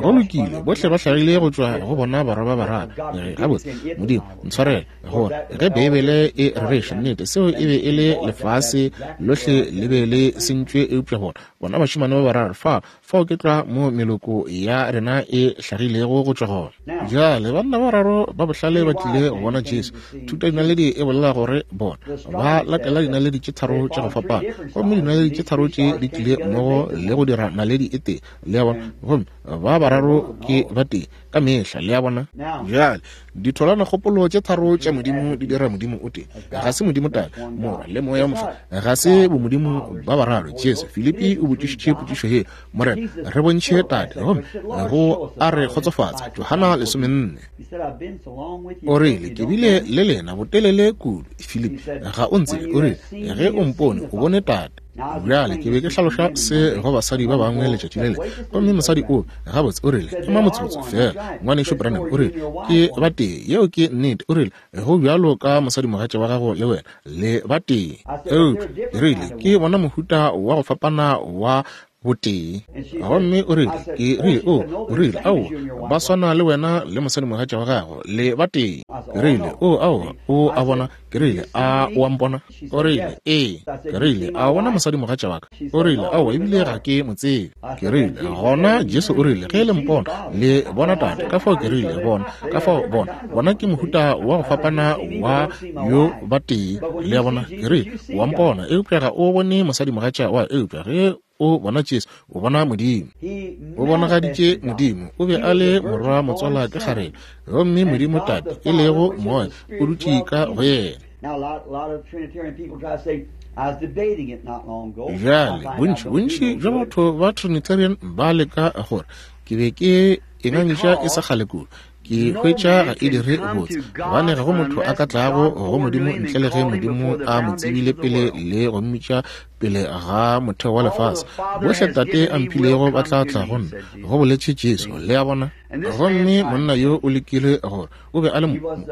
Go lokile, bohle ba hlagile go tšwa go bona barwa ba bararo. Gabotse, Modimo ntshwarele gore ge Beibele e rereša nnete, seo e be e le lefase lohle le be le sentšwe eupša bona bona bašemane ba bararo fa fao ke tlwa mo meloko ya rena e hlagilego go tšwa gona. Bjale banna ba bararo ba bohlale ba tlile go bona Jesu. Thuto ya dinaledi e bolela gore bona ba latela dinaledi tše tharo tša go fapana, gomme dinaledi tše tharo tše di tlile mmogo le go dira naledi e tee. Le a bona? Gomme ba bararo ke ba tee ka mehla. Le a bona? Bjale ditholanakgopolo tše tharo tša Modimo di dira Modimo o tee. Ga se Modimo Tate, Morwa le Moya Mokgethwa, ga se bomodimo ba bararo. Jesu, Filipi o botšišitše potšišo ye, Morena, re bontšhe Tate, gomme go a re kgotsofatsa. Johana lesomenne. he said, I've been so long with you. O rile, you ke don't bile know me. le lena botelele kudu. Filipi, ga o ntsebe. O rile, ge o mpone, o bone Tate. Bjale ke be ke hlaloša se go basadi ba bangwe letšatši le lengwe, gomme mosadi o gabotse o rile, ema motsotso fela, ngwanešu Branham. O rile, ke ba tee. Yeo ke nnete. O rile, go bjalo ka mosadimogatša wa gago le wena le ba tee. Eupša ke rile, ke bona mohuta wa go fapana wa botee. Gomme o rile, ke rile, o o rile, ao, ba swana le wena le mosadimogatša wa gago le ba tee. Ke rile, o ao, o a bona. Ke rile, a o a mpona? O rile, ee. Ke rile, a o bona mosadimogatša wa ka? O rile, aowa, ebile ga ke mo tsebe. Ke rile, gona Jesu o rile, ge le mpona le bona Tate. Ka fao ke rile, bona, ka fao bona, bona ke mohuta wa go fapana wa yo ba tee. Le a bona? Ke rile, wa mpona, eupša ga o bone mosadimogatša wa, eupša ge o bona Jesu, o bona Modimo. He O bonagaditše manifested God. Modimo. O be a le morwa motswala ke kgarebe, gomme Modimo Tate, e lego Moya, o dutše ka go yena. Now, a lot, a lot of Trinitarian people try to say, I was debating it not long ago. I Bjale find out bontši don't do bontši no bja good. batho ba Trinitarian ba leka gore ke be ke e ngangiša e sa kgale kudu, ke hwetša ga e dire botse, gobane ga go motho a ka tlago go Modimo ntle le ge Modimo a mo tsebile pele le go mmitša pele ga motheo wa lefase. Bohle Tate a mphilego ba tla tla go nna, go boletše Jesu. Le a bona? Gomme monna yo o lekile gore o be a le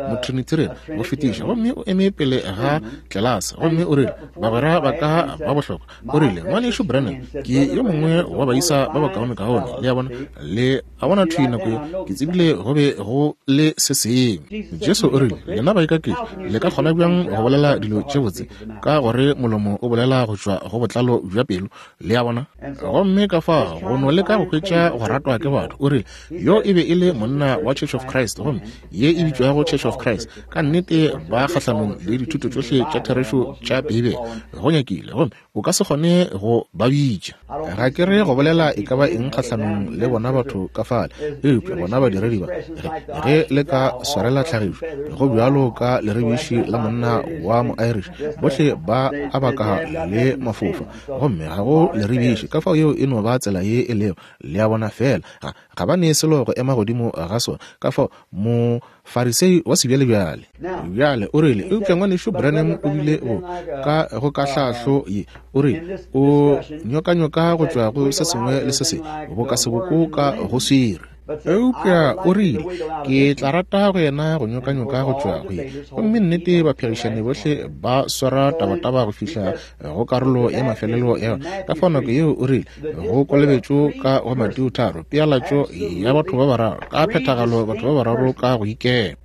motrinitarian go fetiša, gomme o eme pele ga tlelase gomme o rile, bagwera ba ka ba bohlokwa, o rile, ngwanešu Branham ke yo mongwe wa baisa ba bakaonekaone. Le a bona? Le a bona thwi nako yeo ke tsebile go be go le se sengwe. Jesu o rile, lena baikaketši, le ka kgona bjang go bolela dilo tše botse, ka gore molomo o bolela go tšwa tšwa go botlalo bja pelo. Le a bona? Gomme ka fao go no leka go hwetša go ratwa ke batho. O rile yo e be e le monna wa Church of Christ, gomme ye e bitšwago Church of Christ ka nnete ba kgahlanong le dithuto tšohle tša therešo tša Beibele. Go nyakile, gomme o ka se kgone go ba bitša. Ga ke re go bolela e ka ba eng kgahlanong le bona batho ka fale, eupša bona badiredi ba, ge le ka swarela tlhagišo go bjalo ka leribiši la monna wa mo-Irish, bohle ba a baka le mafofa, gomme ga go leribiši. Ka fao yeo e no ba tsela ye e lego, le a bona, fela ga ga ba ne selo go ema godimo ga sona. Ka fao Mofarisei wa sebjalebjale bjale o rile, eupša ngwanešu Branham o bile go ka go ka hlahlo ye, o rile o nyokanyoka go tšwa go se sengwe le se sengwe boka seboko ka go swere. Eupša o rile ke tla rata go yena go nyokanyoka go tšwa go ye. Gomme nnete baphegišani bohle ba swara tabataba go fihla go karolo ya mafelelo ya yona. Ka fao nako yeo o rile go kolobetšo ka go Mateo tharo, pealatšo ya batho ba bararo ka phethagalo, batho ba bararo ka go ikema.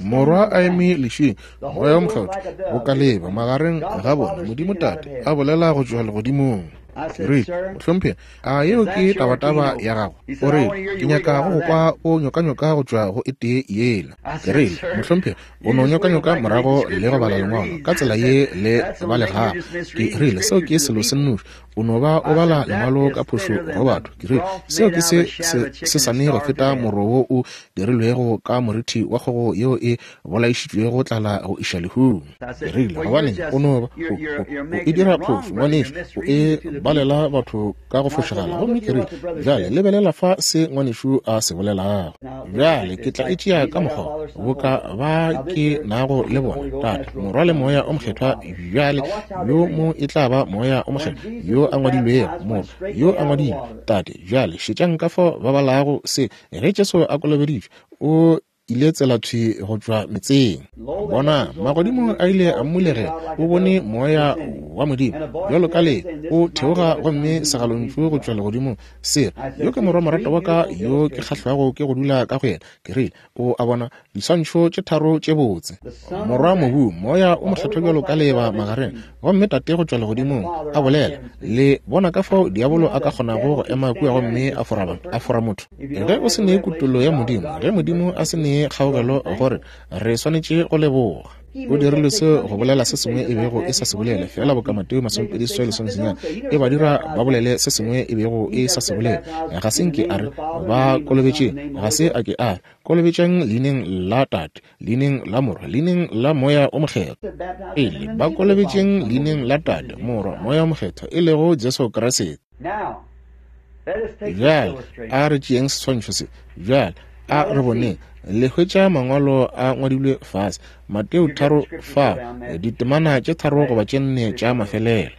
Morwa a eme lešing, Moya o Mokgethwa go ka leba magareng ga bona, Modimo Tate a bolela go tšwa legodimong. Ke rile, mohlomphegi, a yeo ke tabataba ya gago? O rile, ke nyaka go go kwa o nyokanyoka go tšwa go e tee yela. Ke rile, mohlomphegi, o no nyokanyoka morago le go bala lengwalo ka tsela ye le balegago. Ke rile, seo ke selo se nnoši, o no ba o bala lengwalo ka phošo go batho. Ke rile, seo ke se se sane go feta moro wo o dirilwego ka morithi wa kgogo yeo e bolaišitšwego tlala go iša lehung. Ke rile, gobaneng o no ba o e dira phošo, ngwanešu, o e balela batho ka go fošagala. Gomme ke rile, bjale lebelela fa se ngwanešu a se bolelago. Bjale ke tla e tšea ka mokgwa boka ba ke nago le bona, Tate, Morwa le Moya o Mokgethwa. Bjale yo mo e tla ba Moya o Mokgethwa yo a ngwadilwego, Morwa yo a ngwadilwe, Tate. Bjale šetšang ka fao ba balago se. Ge Jesu a kolobeditšwe, o ile tsela thwi go tšwa metseng. Bona, magodimo a ile a mmulegela, o bone moya wa Modimo bjalo ka le o theoga, gomme segalontšu go tšwa legodimong se re, yo ke morwa moratwa wa ka yo ke kgahlwago ke go dula ka go yena. Ke rile, o a bona diswantšho tše tharo tše botse, Morwa mobu, Moya o Mokgethwa bjalo ka leba magareng, gomme Tate go tšwa legodimong a bolela. Le bona ka fao diabolo a ka kgonago go ema kua gomme a fora a fora motho. Ge o se ne kutollo ya Modimo, ge Modimo a se ne kgaogelo, gore re swanetše go leboga. O dirile se go bolela se sengwe e bego e sa se bolele, fela boka Mateo masomepedi seswai lesomesenyane e ba dira ba bolele se sengwe e bego e sa se bolele. Ga se nke a re ba kolobetšeng, ga se a ke a re kolobetšang leineng la Tate, leineng la Morwa, leineng la Moya o Mokgethwa. Pele ba kolobetšeng leineng la Tate, Morwa, Moya o Mokgethwa, e lego Jesu Kriste. Bjale a re tšeeng seswantšho se. Bjale a re boneng le hwetša mangwalo a ngwadilwe fase, Mateo tharo fa ditemana tše tharo goba tše nne tša mafelelo.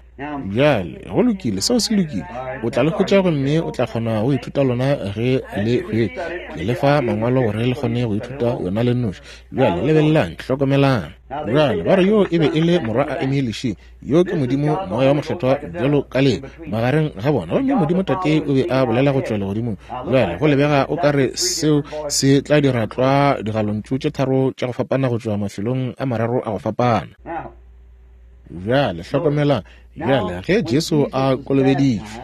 Bjale go lokile, seo se lokile. O tla le hwetša gomme o tla kgona go ithuta lona ge le hwetša. Ke le fa mangwalo gore le kgone go ithuta yona le nnoši. Bjale lebelelang, hlokomelang. Bjale ba re yo e be e le morwa a eme lešing, yo ke Modimo Moya wa Mokgethwa bjalo ka le magareng ga bona, gomme Modimo Tate o be a bolela go tšwa legodimong. Bjale go lebega o ka re seo se tla dira tlwa digalontšu tše tharo tša go fapana go tšwa mafelong a mararo a go fapana. Bjale hlokomelang, bjale ge Jesu a kolobeditšwe,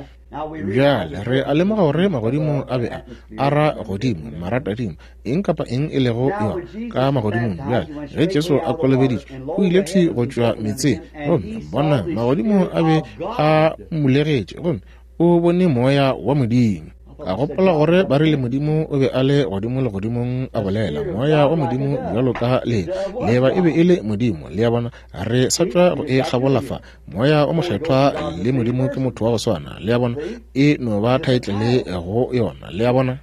bjale re a lemoga gore magodimo a be a ara godimo, maratadimo, eng kapa eng e lego yona ka magodimong. Bjale ge Jesu a kolobeditšwe, o ile thwi go tšwa metseng, gomme bona magodimo a be a mmulegetše, gomme o bone moya wa Modimo. Ka gopola gore ba rile Modimo o be a le godimo legodimong a bolela, moya wa Modimo bjalo ka le leba e be e le Modimo. Le a bona, re sa tšwa go e kgabola fa. Moya o Mokgethwa le Modimo ke motho wa go swana. Le a bona, e no ba thaetlele go yona. Le a bona,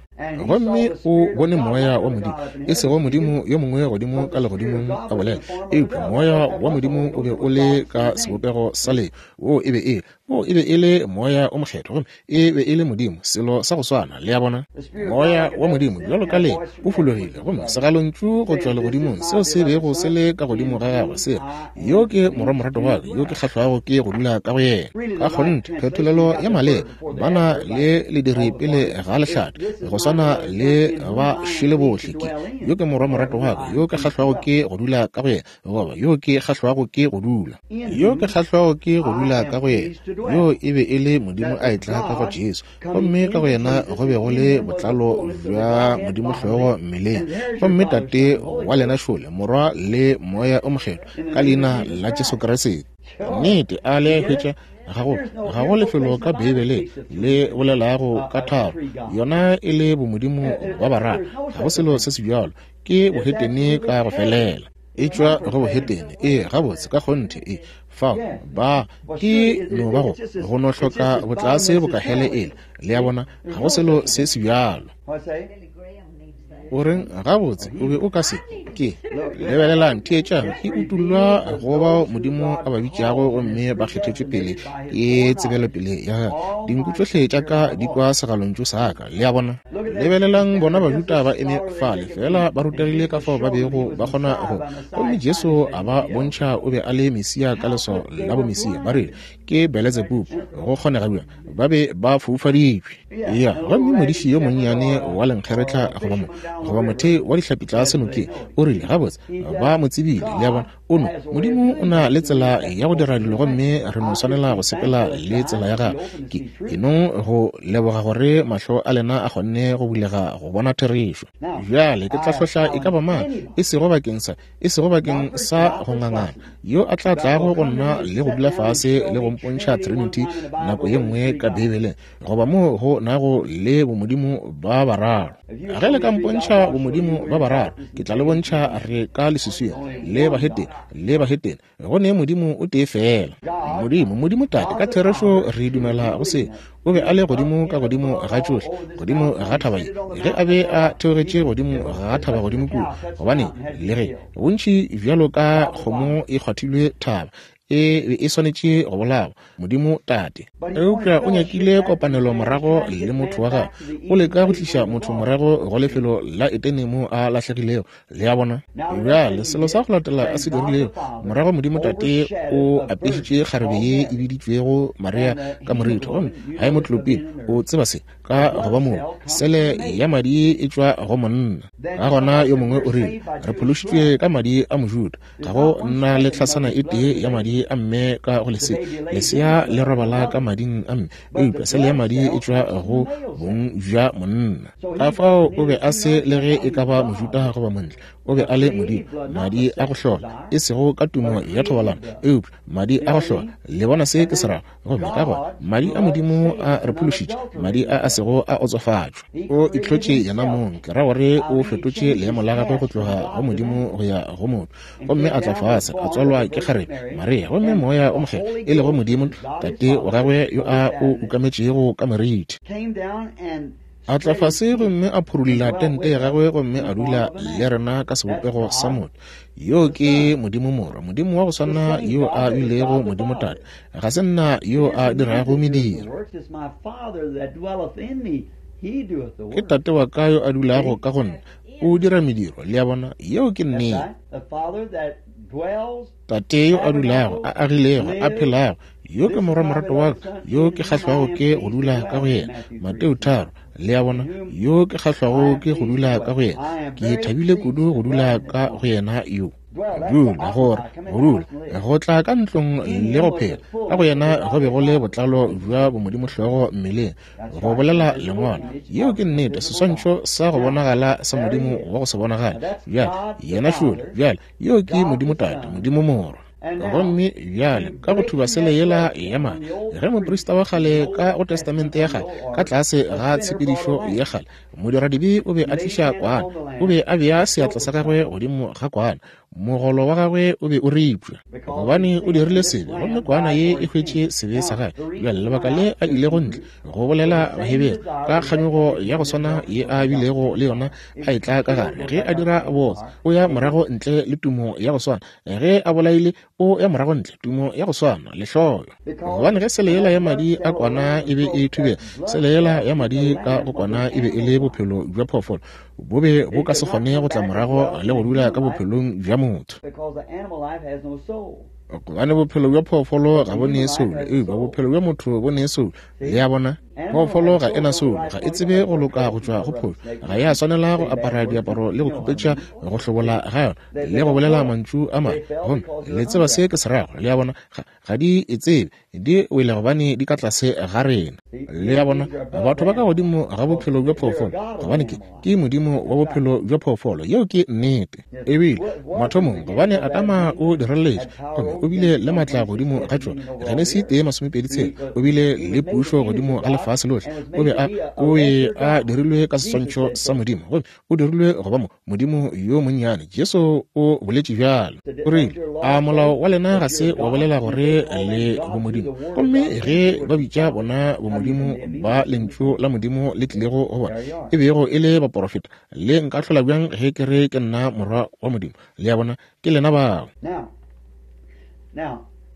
gomme o bone moya wa Modimo, e sego Modimo yo mongwe godimo ka legodimong a bolela, eupša moya wa Modimo o be o le ka sebopego sa le wo e be e wo e be e le moya o Mokgethwa, gomme e be e le Modimo, selo sa go swana. Le a bona, moya wa Modimo bjalo ka le o fologile, gomme segalontšu go tšwa legodimong seo se bego se le ka godimo ga gagwe se re, yo ke morwa moratwa wa ka, yo ke kgahlwago ke go dula ka go yena. Ka kgonthe phetolelo ya maleba ba na le lediri pele ga lehlate, go swana swana le ba šele bohle. Ke yo ke morwa morato wa ka, yo ke kgahlwago ke go dula ka go yena, goba yo ke kgahlwago ke go dula, yo ke kgahlwago ke go dula ka go yena. Yo e be e le Modimo a etla ka go Jesu, gomme ka go yena go be go le botlalo bja Modimo hlogo mmeleng. Gomme Tate wa lena šole, Morwa le Moya o Mokgethwa, ka leina la Jesu Kriste. Nnete, a le hwetša? Ga go, ga go lefelo ka Beibeleng le bolelago ka tharo, yona e le bomodimo ba bararo. Ga go selo se se bjalo, ke bohetene ka go felela. E tšwa go bohetene. Ee, gabotse, ka kgonthe. E fao ba ke no ba go go no hloka botlase bokahele ele. Le a bona, ga go selo se se bjalo. O reng? Gabotse, o be o ka se ke. Lebelelang, theetšang, e utullwa go bao Modimo a ba bitšago gomme ba kgethetšwe pele ke tsebelopele ya gagwe. Dinku tšohle tša ka di kwa segalontšu sa ka. Le a bona? Lebelelang bona Bajuda ba eme fale, fela ba rutegile ka fao ba bego ba kgona go. Gomme Jesu a ba bontšha o be a le Mesia ka leswao la bomesia. Ba rile ke Beletsebubu, go kgonega bjang? Ba be ba foufaditšwe. Ya, gomme modiši yo monnyane wa lenkgeretla goba mo goba mothei wa dihlapi tlase nokeng o rile, gabotse, ba mo tsebile. Le a bona? O no, Modimo o na le tsela ya go dira dilo, gomme re no swanela go sepela le tsela ya gagwe. Ke ke no go leboga gore mahlo a lena a kgonne go bulega go bona therešo. Bjale ke tla hlohla e ka ba mang, e sego bakeng sa, e sego bakeng sa go ngangana, yo a tla tlago go nna le go dula fase le go mpontšha Trinity nako ye nngwe ka Beibeleng, goba moo go nago le bomodimo ba bararo. Ge le ka mpontšha bomodimo ba bararo, ke tla le bontšha re ka leswiswing le bahetene, le bahetene go ne Modimo o tee fela. Modimo, Modimo Tate, ka therešo re dumela go se. O be a le godimo ka godimo ga tšohle, godimo ga thaba ye, ge a be a theogetše godimo ga thaba godimo kua, gobane le ge bontši bjalo ka kgomo e kgwathilwe thaba, e be e swanetše go bolawa. Modimo Tate. Eupša o nyakile kopanelo morago le motho wa gagwe. O leka go tliša motho morago go lefelo la Etene mo a lahlegilego. Le a bona? Bjale selo sa go latela a se dirilego morago, Modimo Tate o apešitše kgarebe ye e biditšwego Maria ka moritho, gomme haemoglobin o tseba se ka go ba moo sele ya madi e tšwa go monna. Ka gona yo mongwe o rile, re phološitšwe ka madi a Mojuda. Ga go nna le tlhasana e tee ya madi a mme ka go lesea. Lesea le robala ka mading a mme, eupša sele ya madi e tšwa go bong bja monna. Ka fao o be a se le ge e ka ba Mojuda goba montle, o be a le Modimo. Madi a go hlola, e sego ka tumo ya thobalano, eupša madi a go hlola. Le bona se ke se rago? Gomme ka gona madi a Modimo a re phološitše, madi a a sego a otsofatšwa. O itlhotše yena mong, ke ra gore o fetotše leemo la gagwe go tloga go Modimo go ya go motho, gomme a tla fase a tswalwa ke kgarebe Maria, gomme Moya o Mokgethwa e lego Modimo Tate wa gagwe yo a o ukametšego ka morithi, a tla fase gomme a phurulla tente ya gagwe gomme a dula le rena ka sebopego sa motho. Yo ke Modimo Morwa, Modimo wa go swana yo a bilego Modimo Tate. Ga se nna yo a dirago mediro, ke Tate wa ka yo a dulago ka go nna, o dira mediro. Le a bona? Yeo ke nnete. Tate yo a dulago, a agilego, a phelago, yo ke morwa morato wa ka, yo ke kgahlwago ke go dula ka go yena. Mateo tharo. Le a bona? Yo ke kgahlwago ke go dula ka go yena. Ke thabile kudu go dula ka go yena yo. Dula, gore go dula, go tla ka ntlong le go phela ka go yena go be go le botlalo bja bomodimo hlogo mmeleng, go bolela lengwalo. Yeo ke nnete, seswantšho sa go bonagala sa Modimo wa go se bonagale. Bjale yena šole, bjale yeo ke Modimo Tate, Modimo Morwa. Gomme bjale ka go thuba sele yela ya madi, ge moprista wa kgale ka go testamente ya kgale, ka tlase ga tshepedišo ya kgale, modiradibe o be a tliša kwana, o be a bea seatla sa gagwe godimo ga kwana, mogolo wa gagwe o be o ripša, gobane o dirile sebe, gomme kwana ye e hwetše sebe sa gagwe. Bjale lebaka le a ilego ntle go bolela Bahebere ka kganyogo ya go swana ye a bilego le yona a etla ka gare, ge a dira botse o ya morago ntle le tumo ya go swana, ge a bolaile o ya morago ntle tumo ya go swana, lehloyo. Gobane ge sele yela ya madi a kwana e be e thubega, sele yela ya madi ka go kwana e be e le bophelo bja phoofolo, bo be bo ka se kgone go tla morago le go dula ka bophelong bja motho. Gobane bophelo bja phoofolo ga bo nee soulo, eupša bophelo bja motho bo nee soulo. Le a bona? Phoofolo ga e na soulo, ga e tsebe go loka go tšwa go phošo, ga ya swanela go apara diaparo le go khupetša go hlobola ga yona le go bolela mantšu a mabe. Gomme le tseba se ke se rago, le a bona, ga, ga di e tsebe, di wele gobane di ka tlase ga rena. Le a bona, batho ba ka godimo ga bophelo bja phoofolo, gobane ke, ke modimo wa bophelo bja phoofolo. Yeo ke nnete. Ebile mathomong, gobane Adama o direletše gomme o bile le maatla godimo ga tšona. Genesi tee masomepedi tshela, o bile le pušo godimo ga lefase lohle. O be a, o be a dirilwe ka seswantšho sa Modimo, gomme o dirilwe go ba mo Modimo yo monnyane. Jesu o boletše bjalo. O rile, a molao wa lena ga se wa bolela gore le bomodimo? Gomme ge ba bitša bona bomodimo ba lentšu la Modimo le tlilego go bona, e bego e le baporofeta, le nka hlola bjang ge ke re ke nna morwa wa Modimo? Le a bona, ke lena bao.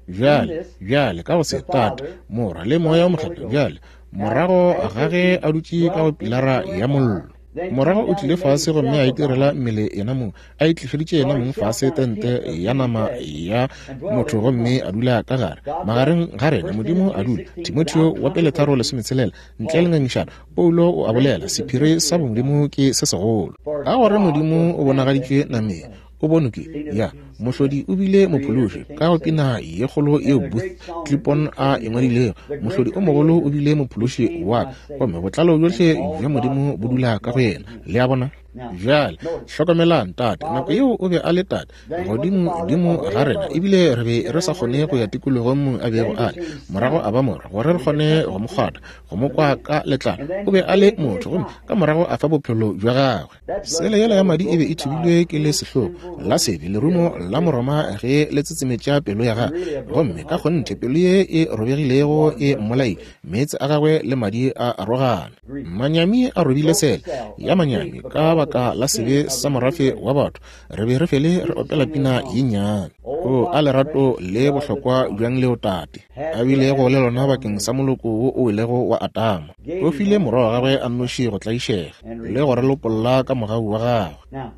Bjale, bjale ka go se, Tate, Morwa le Moya o Mokgethwa. Bjale, morago ga ge a dutše ka go pilara ya mollo, morago o tlile fase gomme a itirela mmele yena mong, a itlišeditše yena mong fase tente ya nama ya motho gomme a dula ka gare magareng ga rena. Modimo a dula. Timotheo wa pele tharo lesometshelela, ntle le ngangišano, Paulo o a bolela, sephiri sa bomodimo ke se segolo, ka gore Modimo o bonagaditšwe nameng, o bonwe ke ya mohlodi, o bile mophološi. Ka go pina ye kgolo yeo Booth Clipon a e ngwadilego, mohlodi o mogolo o bile mophološi wa ka, gomme botlalo bjohle bja Modimo bo dula ka go yena. Le a bona? Bjale hlokomelang, Tate, nako yeo o be a le Tate godimo dimo ga rena, ebile re be re sa kgone go ya tikologong mo a bego a le. Morago a ba morwa, gore re kgone go mo kgwatha, go mo kwa ka letlalo. O be a le motho, gomme ka morago a fa bophelo bja gagwe. Sele yela ya madi e be e thubilwe ke le sehlogo la sebe, lerumo la Moroma ge le tsetsemetša pelo ya gagwe, gomme ka kgonthe pelo ye e robegilego e mmolaile, meetse a gagwe le madi a arogana. Manyami a robile sele ya manyami ka baka la sebe sa morafe wa batho. Re be re fele re opela pina ye nnyane. O a lerato le bohlokwa bjang leo Tate a bilego le lona bakeng sa moloko wo o welego wa Adama. O file morwa wa gagwe a nnoši go tlaišega le go re lopolla ka mogau wa gagwe.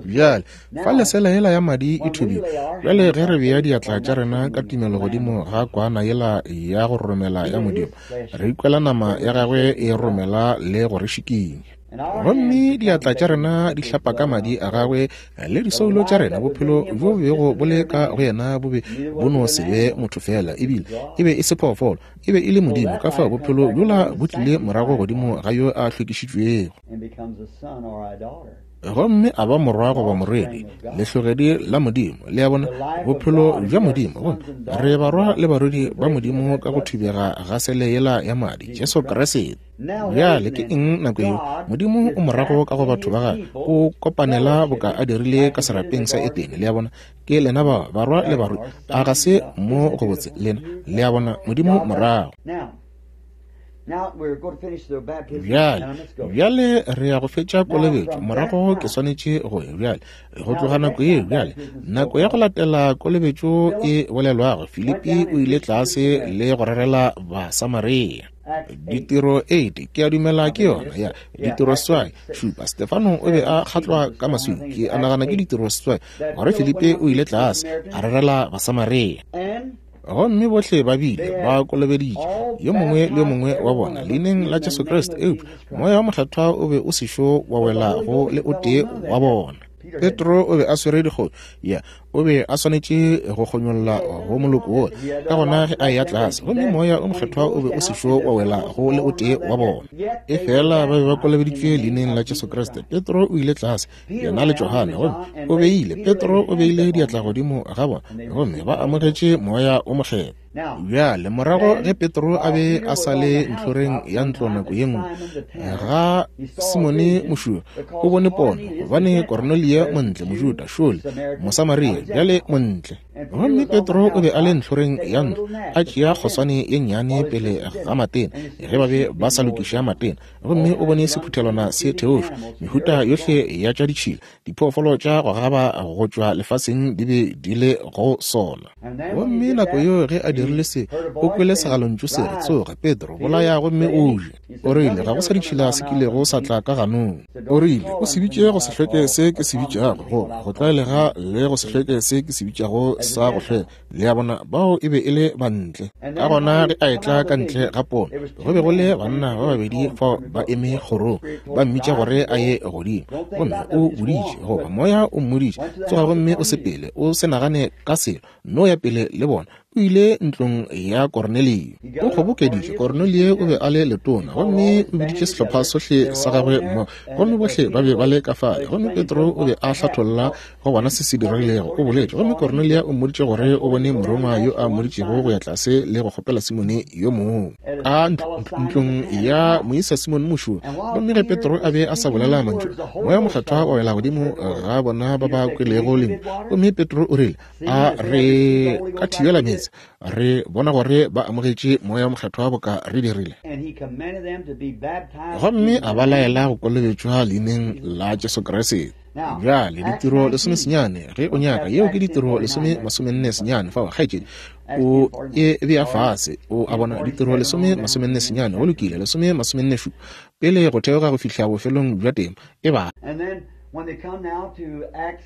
Bjale fa lesela yela ya madi e thubile, bjale ge re bea diatla tša rena ka tumelo godimo ga kwana yela ya go romela ya Modimo, re ikwela nama ya gagwe e romela le go re šikinya. Gomme diatla tša rena di hlapa ka madi a gagwe le disoulo tša rena. Bophelo bjo bego bo le ka go yena bo be bo no se be motho fela, ebile e be e se phoofolo, e be e le Modimo. Ka fao bophelo bjola bo tlile morago godimo ga yo a hlwekišitšwego, gomme a ba morwa goba morwedi, lehlogedi la Modimo. Le a bona, bophelo bja Modimo. Gomme re barwa le barwedi ba Modimo ka go thubega ga sele yela ya madi, Jesu Kriste. Bjale ke eng nako yeo? Modimo o morago ka go batho ba gagwe, o kopanela boka a dirile ka serapeng sa Edene. Le a bona, ke lena ba barwa le barwedi. A ga se mo go botse lena? Le a bona, Modimo morago. Bjale, bjale re ya go fetša kolobetšo, morago ke swanetše go ya. Bjale go tloga nako yeo, bjale nako ya go latela kolobetšo e bolelwago, Filipi o ile tlase le go rerela Basamaria. Ditiro eight, ke a dumela ke yona ya ditiro seswai šupa. Stefano o be a kgatlwa ka maswika, ke a nagana ke ditiro seswai, gore Filipi o ile tlase a rerela Basamaria. Gomme bohle ba bile ba kolobeditše, yo mongwe le yo mongwe wa bona, leineng la Jesu Kriste, eupša Moya wa Mokgethwa o be o sešo wa wela go le o tee wa bona. Petro o be a swere dikgoši, ya, o be a swanetše go kgonyolla go moloko wola. Ka gona ge a eya tlase, gomme Moya o Mokgethwa o be o sešo wa wela go le o tee wa bona, e fela ba be ba kolobeditšwe leineng la Jesu Kriste. Petro o ile tlase, yena le Johane, gomme o beile, Petro o beile diatla godimo ga bona, gomme ba amogetše Moya o Mokgethwa. Bjale morago ge Petro a be a sa le ntlhoreng ya ntlo nako ye nngwe ga Simone mošuwa, o bone pono, gobane Kornelia montle, Mojuda, šole Mosamaria, bjale montle. Gomme Petro o be a le ntlhoreng ya ntlo, a tšea kgoswane ye nnyane pele ga matena, ge ba be ba sa lokiša matena, gomme o bone sephuthelwana se theošwa, mehuta yohle ya tša ditšhila, diphoofolo tša go gaba go tšwa lefaseng di be di le go sona. Gomme nako yeo ge a dirile se, o kwele segalontšu se re, tsoga Petro, bolaya gomme o je. O rile, ga go sa ditšhila se kilego sa tla ka ganong. O rile, o se bitše go se hlweke se ke se bitšago go go tlwaelega le go se hlweke se ke se bitšago sa go hlweka. Le a bona, bao e be e le bantle. Ka gona ge a etla ka ntle ga pono, go be go le banna ba babedi fao ba eme kgorong, ba mmitša gore a ye godimo. Gomme o boditše, goba moya o mmoditše, tsoga gomme o sepele, o se nagane ka selo, no ya pele le bona. O ile ntlong ya Kornelio. O kgobokeditše. Kornelio o be a le letona, gomme o biditše sehlopha sohle sa gagwe mmogo, gomme bohle ba be ba le ka fale. Gomme Petro o be a hlatholla go bona se se diregilego. O boletše, gomme Kornelio o mmoditše gore o bone morongwa yo a mmoditšego go ya tlase le go kgopela Simone yo mongwe ka ntlong ya moisa Simone mošomi. Gomme ge Petro a be a sa bolela mantšu, Moya Mokgethwa wa wela godimo ga bona ba ba kwelego lentšu. Gomme Petro o rile, a re ka thibela meetse, re bona gore ba amogetše Moya Mokgethwa boka re dirile. Gomme a ba laela go kolobetšwa leineng la Jesu Kriste. Bjale ditiro lesome senyane, ge o nyaka, yeo ke ditiro lesome masomenne senyane fao, kgaetšedi, o e bea fase. O a bona, ditiro lesome masomenne senyane, go lokile, lesome masomenne šupa, pele go theoga go fihla bofelong bja temo e ba.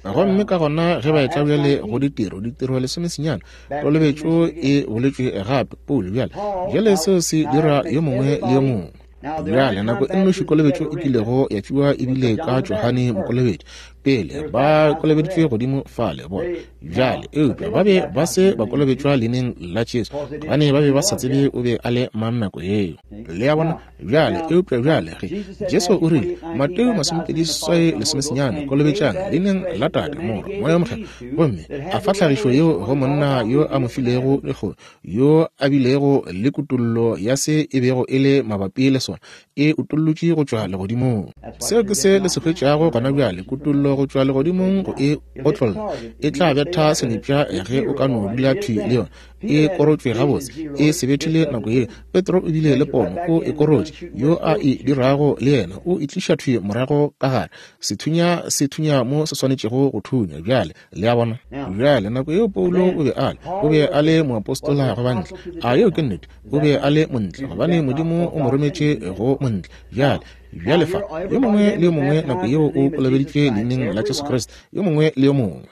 Gomme ka gona ge ba etla bjale go ditiro, ditiro lesome senyane, kolobetšo e boletšwe gape, Paulo bjale. Bjale seo se dira yo mongwe le yo mongwe. Bjale nako e nnoši kolobetšo e kilego ya fiwa ebile ka Johane Mokolobetši, pele ba kolobeditšwe godimo fale bona. Bjale eupša ba be ba se ba kolobetšwa leineng la Jesu, gobane ba be ba sa tsebe o be a le mang nako yeo. Le a bona? Bjale eupša bjale ge Jesu o rile, Mateo masomepedi seswai lesome senyane, kolobetšang leineng la Tate, Morwa, Moya Mokgethwa, gomme a fa tlhagišo yeo go monna yo a mo filego lehono, yo a bilego le kutollo ya se e bego e le mabapi le sona, e utollotše go tšwa legodimong. Seo ke se le se hwetšago gona bjale, kutollo go tšwa legodimong go e otlolla. E tla betha senepša ge o ka no dula thwi le yona. E korotšwe gabotse, e se bethile nako ye. Petro o bile le pono, o e korotše. Yo a e dirago le yena o e tliša thwi morago ka gare. Sethunya se thunya mo se swanetšego go thunya. Bjale le a bona? Bjale nako yeo Paulo o be a le, o be a le moapostola go bantle. A yeo ke nnete? O be a le montle, gobane Modimo o mo rometše go montle. Bjale bjale fa, yo mongwe le yo mongwe nako yeo o kolobeditšwe leineng la Jesu Kriste, yo mongwe le yo mongwe.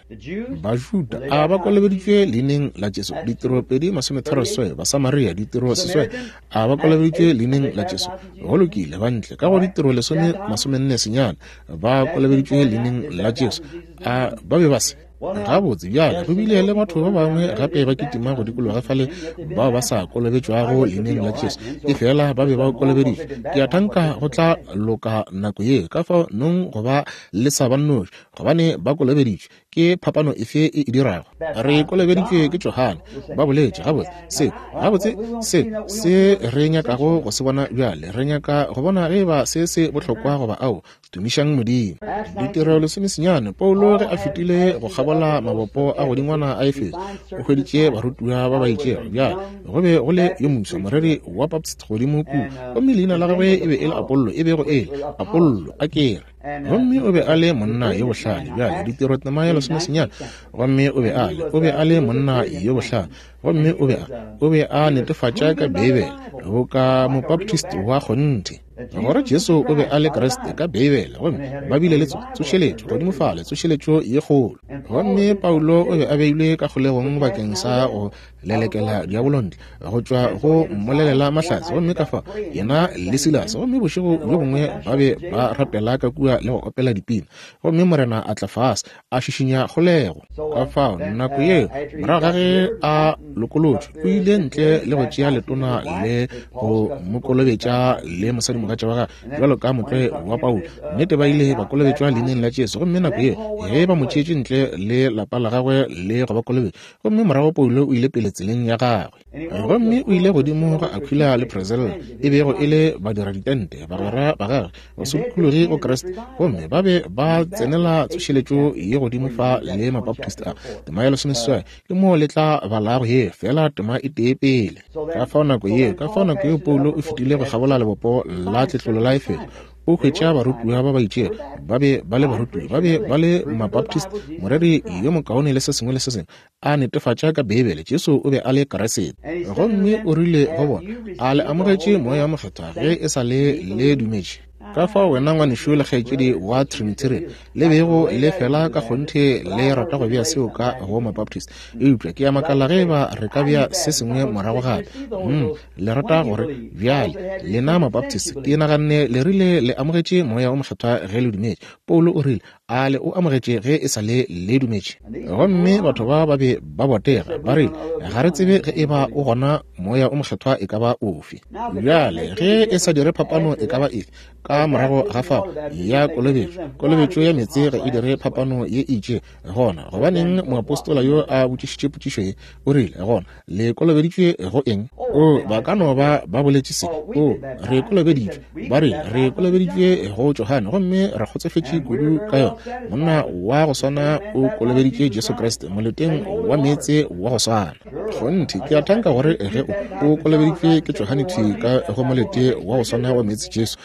Bajuda a ba kolobeditšwe leineng la Jesu, ditiro pedi masometharo seswai. Basamaria, ditiro seswai, a ba kolobeditšwe leineng la Jesu. Go lokile, bantle ka go ditiro lesome masomenne senyane ba kolobeditšwe leineng la Jesu. A ba be ba se gabotse? Bjale go bile le batho ba bangwe gape ba kitima go dikologa fale bao ba sa kolobetšwago leineng la Jesu, efela ba be ba kolobeditšwe. Ke a thanka go tla loka nako ye, ka fao nong go ba le sa ba nnoši, gobane ba kolobeditšwe. Ke phapano efe e e dirago? Re kolobeditšwe ke Johane, ba boletše. Gabotse se, gabotse se se re nyakago go se bona bjale, re nyaka go bona ge ba se se bohlokwa goba ao. Tumišang Modimo. Ditiro lesome senyane, Paulo ge a fetile go kgabola mabopo a godingwana a Efeso, o hweditše barutiwa ba ba itšego. Bjale go be go le yo moswa, moreri wa Baptist godimo kua, gomme leina la gagwe e be e le Apollo, e bego e le Apollo a kere. Gomme o be a le monna yo bohlale. Bjale ditiro tema ya lesome senyane, gomme o be a le, o be a le monna yo bohlale, gomme o be a, o be a netefatša ka Beibele go ka mobaptist wa kgonthe gore Jesu o be a le Kriste ka Beibele. Gomme ba bile le tsošeletšo godimo fale, tsošeletšo ye kgolo. Gomme Paulo o be a beilwe ka kgolegong bakeng sa go lelekela diabolo ntle go tšwa go mmolelela mahlatse. Gomme ka fa yena le Silase, gomme bošego bjo bongwe ba be ba rapela ka kua le go opela dipina, gomme Morena a tla fase a šišinya kgolego. Ka fao nako yeo morago ga ge a lokolotšwe, o ile ntle le go tšea letona le go mo kolobetša le mosadimogatša wa gagwe bjalo ka motlwae wa Paulo. Nnete ba ile ba kolobetšwa leineng la Jesu. Gomme nako yeo ge ba mo tšeetše ntle le lapa la gagwe le go ba kolobetša, gomme morago Paulo o ile pele tseleng ya gagwe. Gomme o ile godimo ga Aquila le Priscilla, e bego e le badiraditente, bagwera ba gagwe, basokologi go Kriste. Gomme ba be ba tsenela tsošeletšo ye godimo fa le mabaptist a. Tema ya lesomeseswai ke moo le tla balago ye, fela tema e tee pele. Ka fao nako yeo, ka fao nako yeo Paulo o fetile go kgabola lebopo la tletlolo la Efeso, o hwetša barutiwa ba ba itšego. Ba be ba le barutiwa, ba be ba le mabaptist, moreri yo mokaone le se sengwe le se sengwe, a netefatša ka Beibele Jesu o be a le Kriste. Gomme o rile go bona, a le amogetše Moya wo Mokgethwa ge e sa le le dumetše? Ka fao wena ngwanešu le kgaetšedi wa Trinitarian le bego le fela ka kgonthe le rata go bea seo ka go Mabaptist, eupša ke a makala ge eba re ka bea se sengwe morago gape. Mm, le rata gore bjale lena Mabaptist, ke naganne le rile le amogetše Moya wo Mokgethwa ge le dumetše. Paulo o rile, a le o amogetše ge e sa le le dumetše? Gomme batho ba ba be ba botega, ba rile, ga re tsebe ge eba o gona Moya o Mokgethwa e ka ba ofe. Bjale ge e sa dire phapano e ka ba efe ka morago ga fao ya kolobetšo, kolobetšo ya meetse ga e dire phapano ye itše gona. Gobaneng moapostola yo a botšišitše potšišo ye? O rile gona, le kolobeditšwe go eng? O, ba ka no ba ba boletše se. O, re kolobeditšwe. Ba rile, re kolobeditšwe go Johane, gomme re kgotsofetše kudu ka yona. Monna wa go swana o kolobeditše Jesu Kriste moleteng wa meetse wa go swana. Kgonthe, ke a thanka gore ge o o kolobeditšwe ke Johane thwi ka go molete wa go swana wa meetse Jesu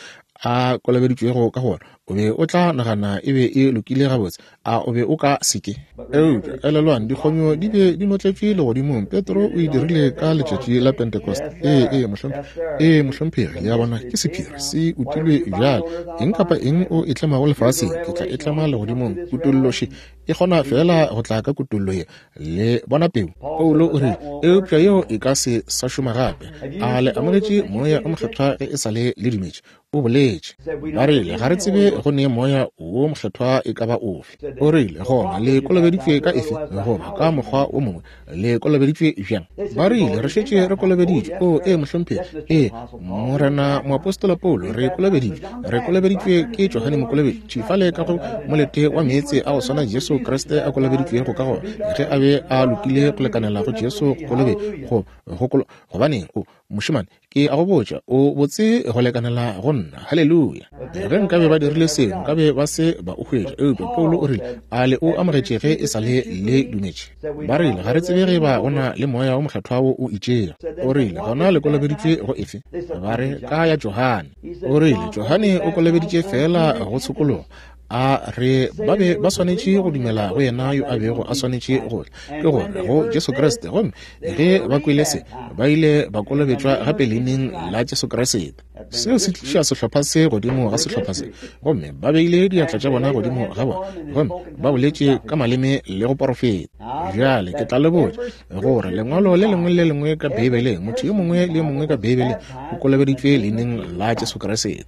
a kolobeditšwego ka gona, o be o tla nagana e be e lokile gabotse, a o be o ka seke? Eupša elelwang, dikgonyo di be di notletšwe legodimong. Petro o e dirile ka letšatši la Pentecost. Ee, ee, mohlomphegi. Ee, mohlomphegi, le a bona, ke sephiri, se utilwe bjale. Eng kapa eng o e tlemago lefaseng, ke tla e tlema legodimong. Kutolloši e kgona fela go tla ka kutollo ye. Le bona peu? Paulo o rile, eupša yeo e ka se sa šoma gape. A le amogetše Moya o Mokgethwa ge e sa le le dumetše? O boletše. Ba rile, ga re tsebe go ne Moya wo Mokgethwa e ka ba ofe. O rile, gona le kolobeditšwe ka efe? Goba ka mokgwa o mongwe, le kolobeditšwe bjang? Ba rile, re šetše re kolobeditšwe. O, ee, mohlomphegi. Ee, morena moapostola Paulo, re kolobeditšwe. Re kolobeditšwe ke Johane Mokolobetši fale ka go molete wa meetse a go swana Jesu Kriste a kolobeditšwego ka gona, ge a be a lokile go lekanela go Jesu go kolobe go go kolo. Gobaneng, o mošemane, ke a go botša, o botse go lekanela go nna. Haleluya. Ge nkabe ba dirile seo, nkabe ba se ba o hwetša. Eupša Paulo o rile, a le o amogetše ge e sa le le dumetše? Ba rile, ga re tsebe ge ba go na le Moya wo Mokgethwa wo o itšego. O rile, gona le kolobeditšwe go efe? Ba re, ka ya Johane. O rile, Johane o kolobeditše fela go tshokologo. A re ba be ba swanetše go dumela go yena yo a bego a swanetše go tla, ke gore go Jesu Kriste. Gomme ge ba kwele se, ba ile ba kolobetšwa gape leineng la Jesu Kriste. Seo se tliša sehlopha se godimo ga sehlopha se, gomme ba beile diatla tša bona godimo ga bona, gomme ba boletše ka maleme le go porofeta. Bjale ke tla le botša gore lengwalo le lengwe le lengwe ka Beibeleng, motho yo mongwe le yo mongwe ka Beibeleng o kolobeditšwe leineng la Jesu Kriste.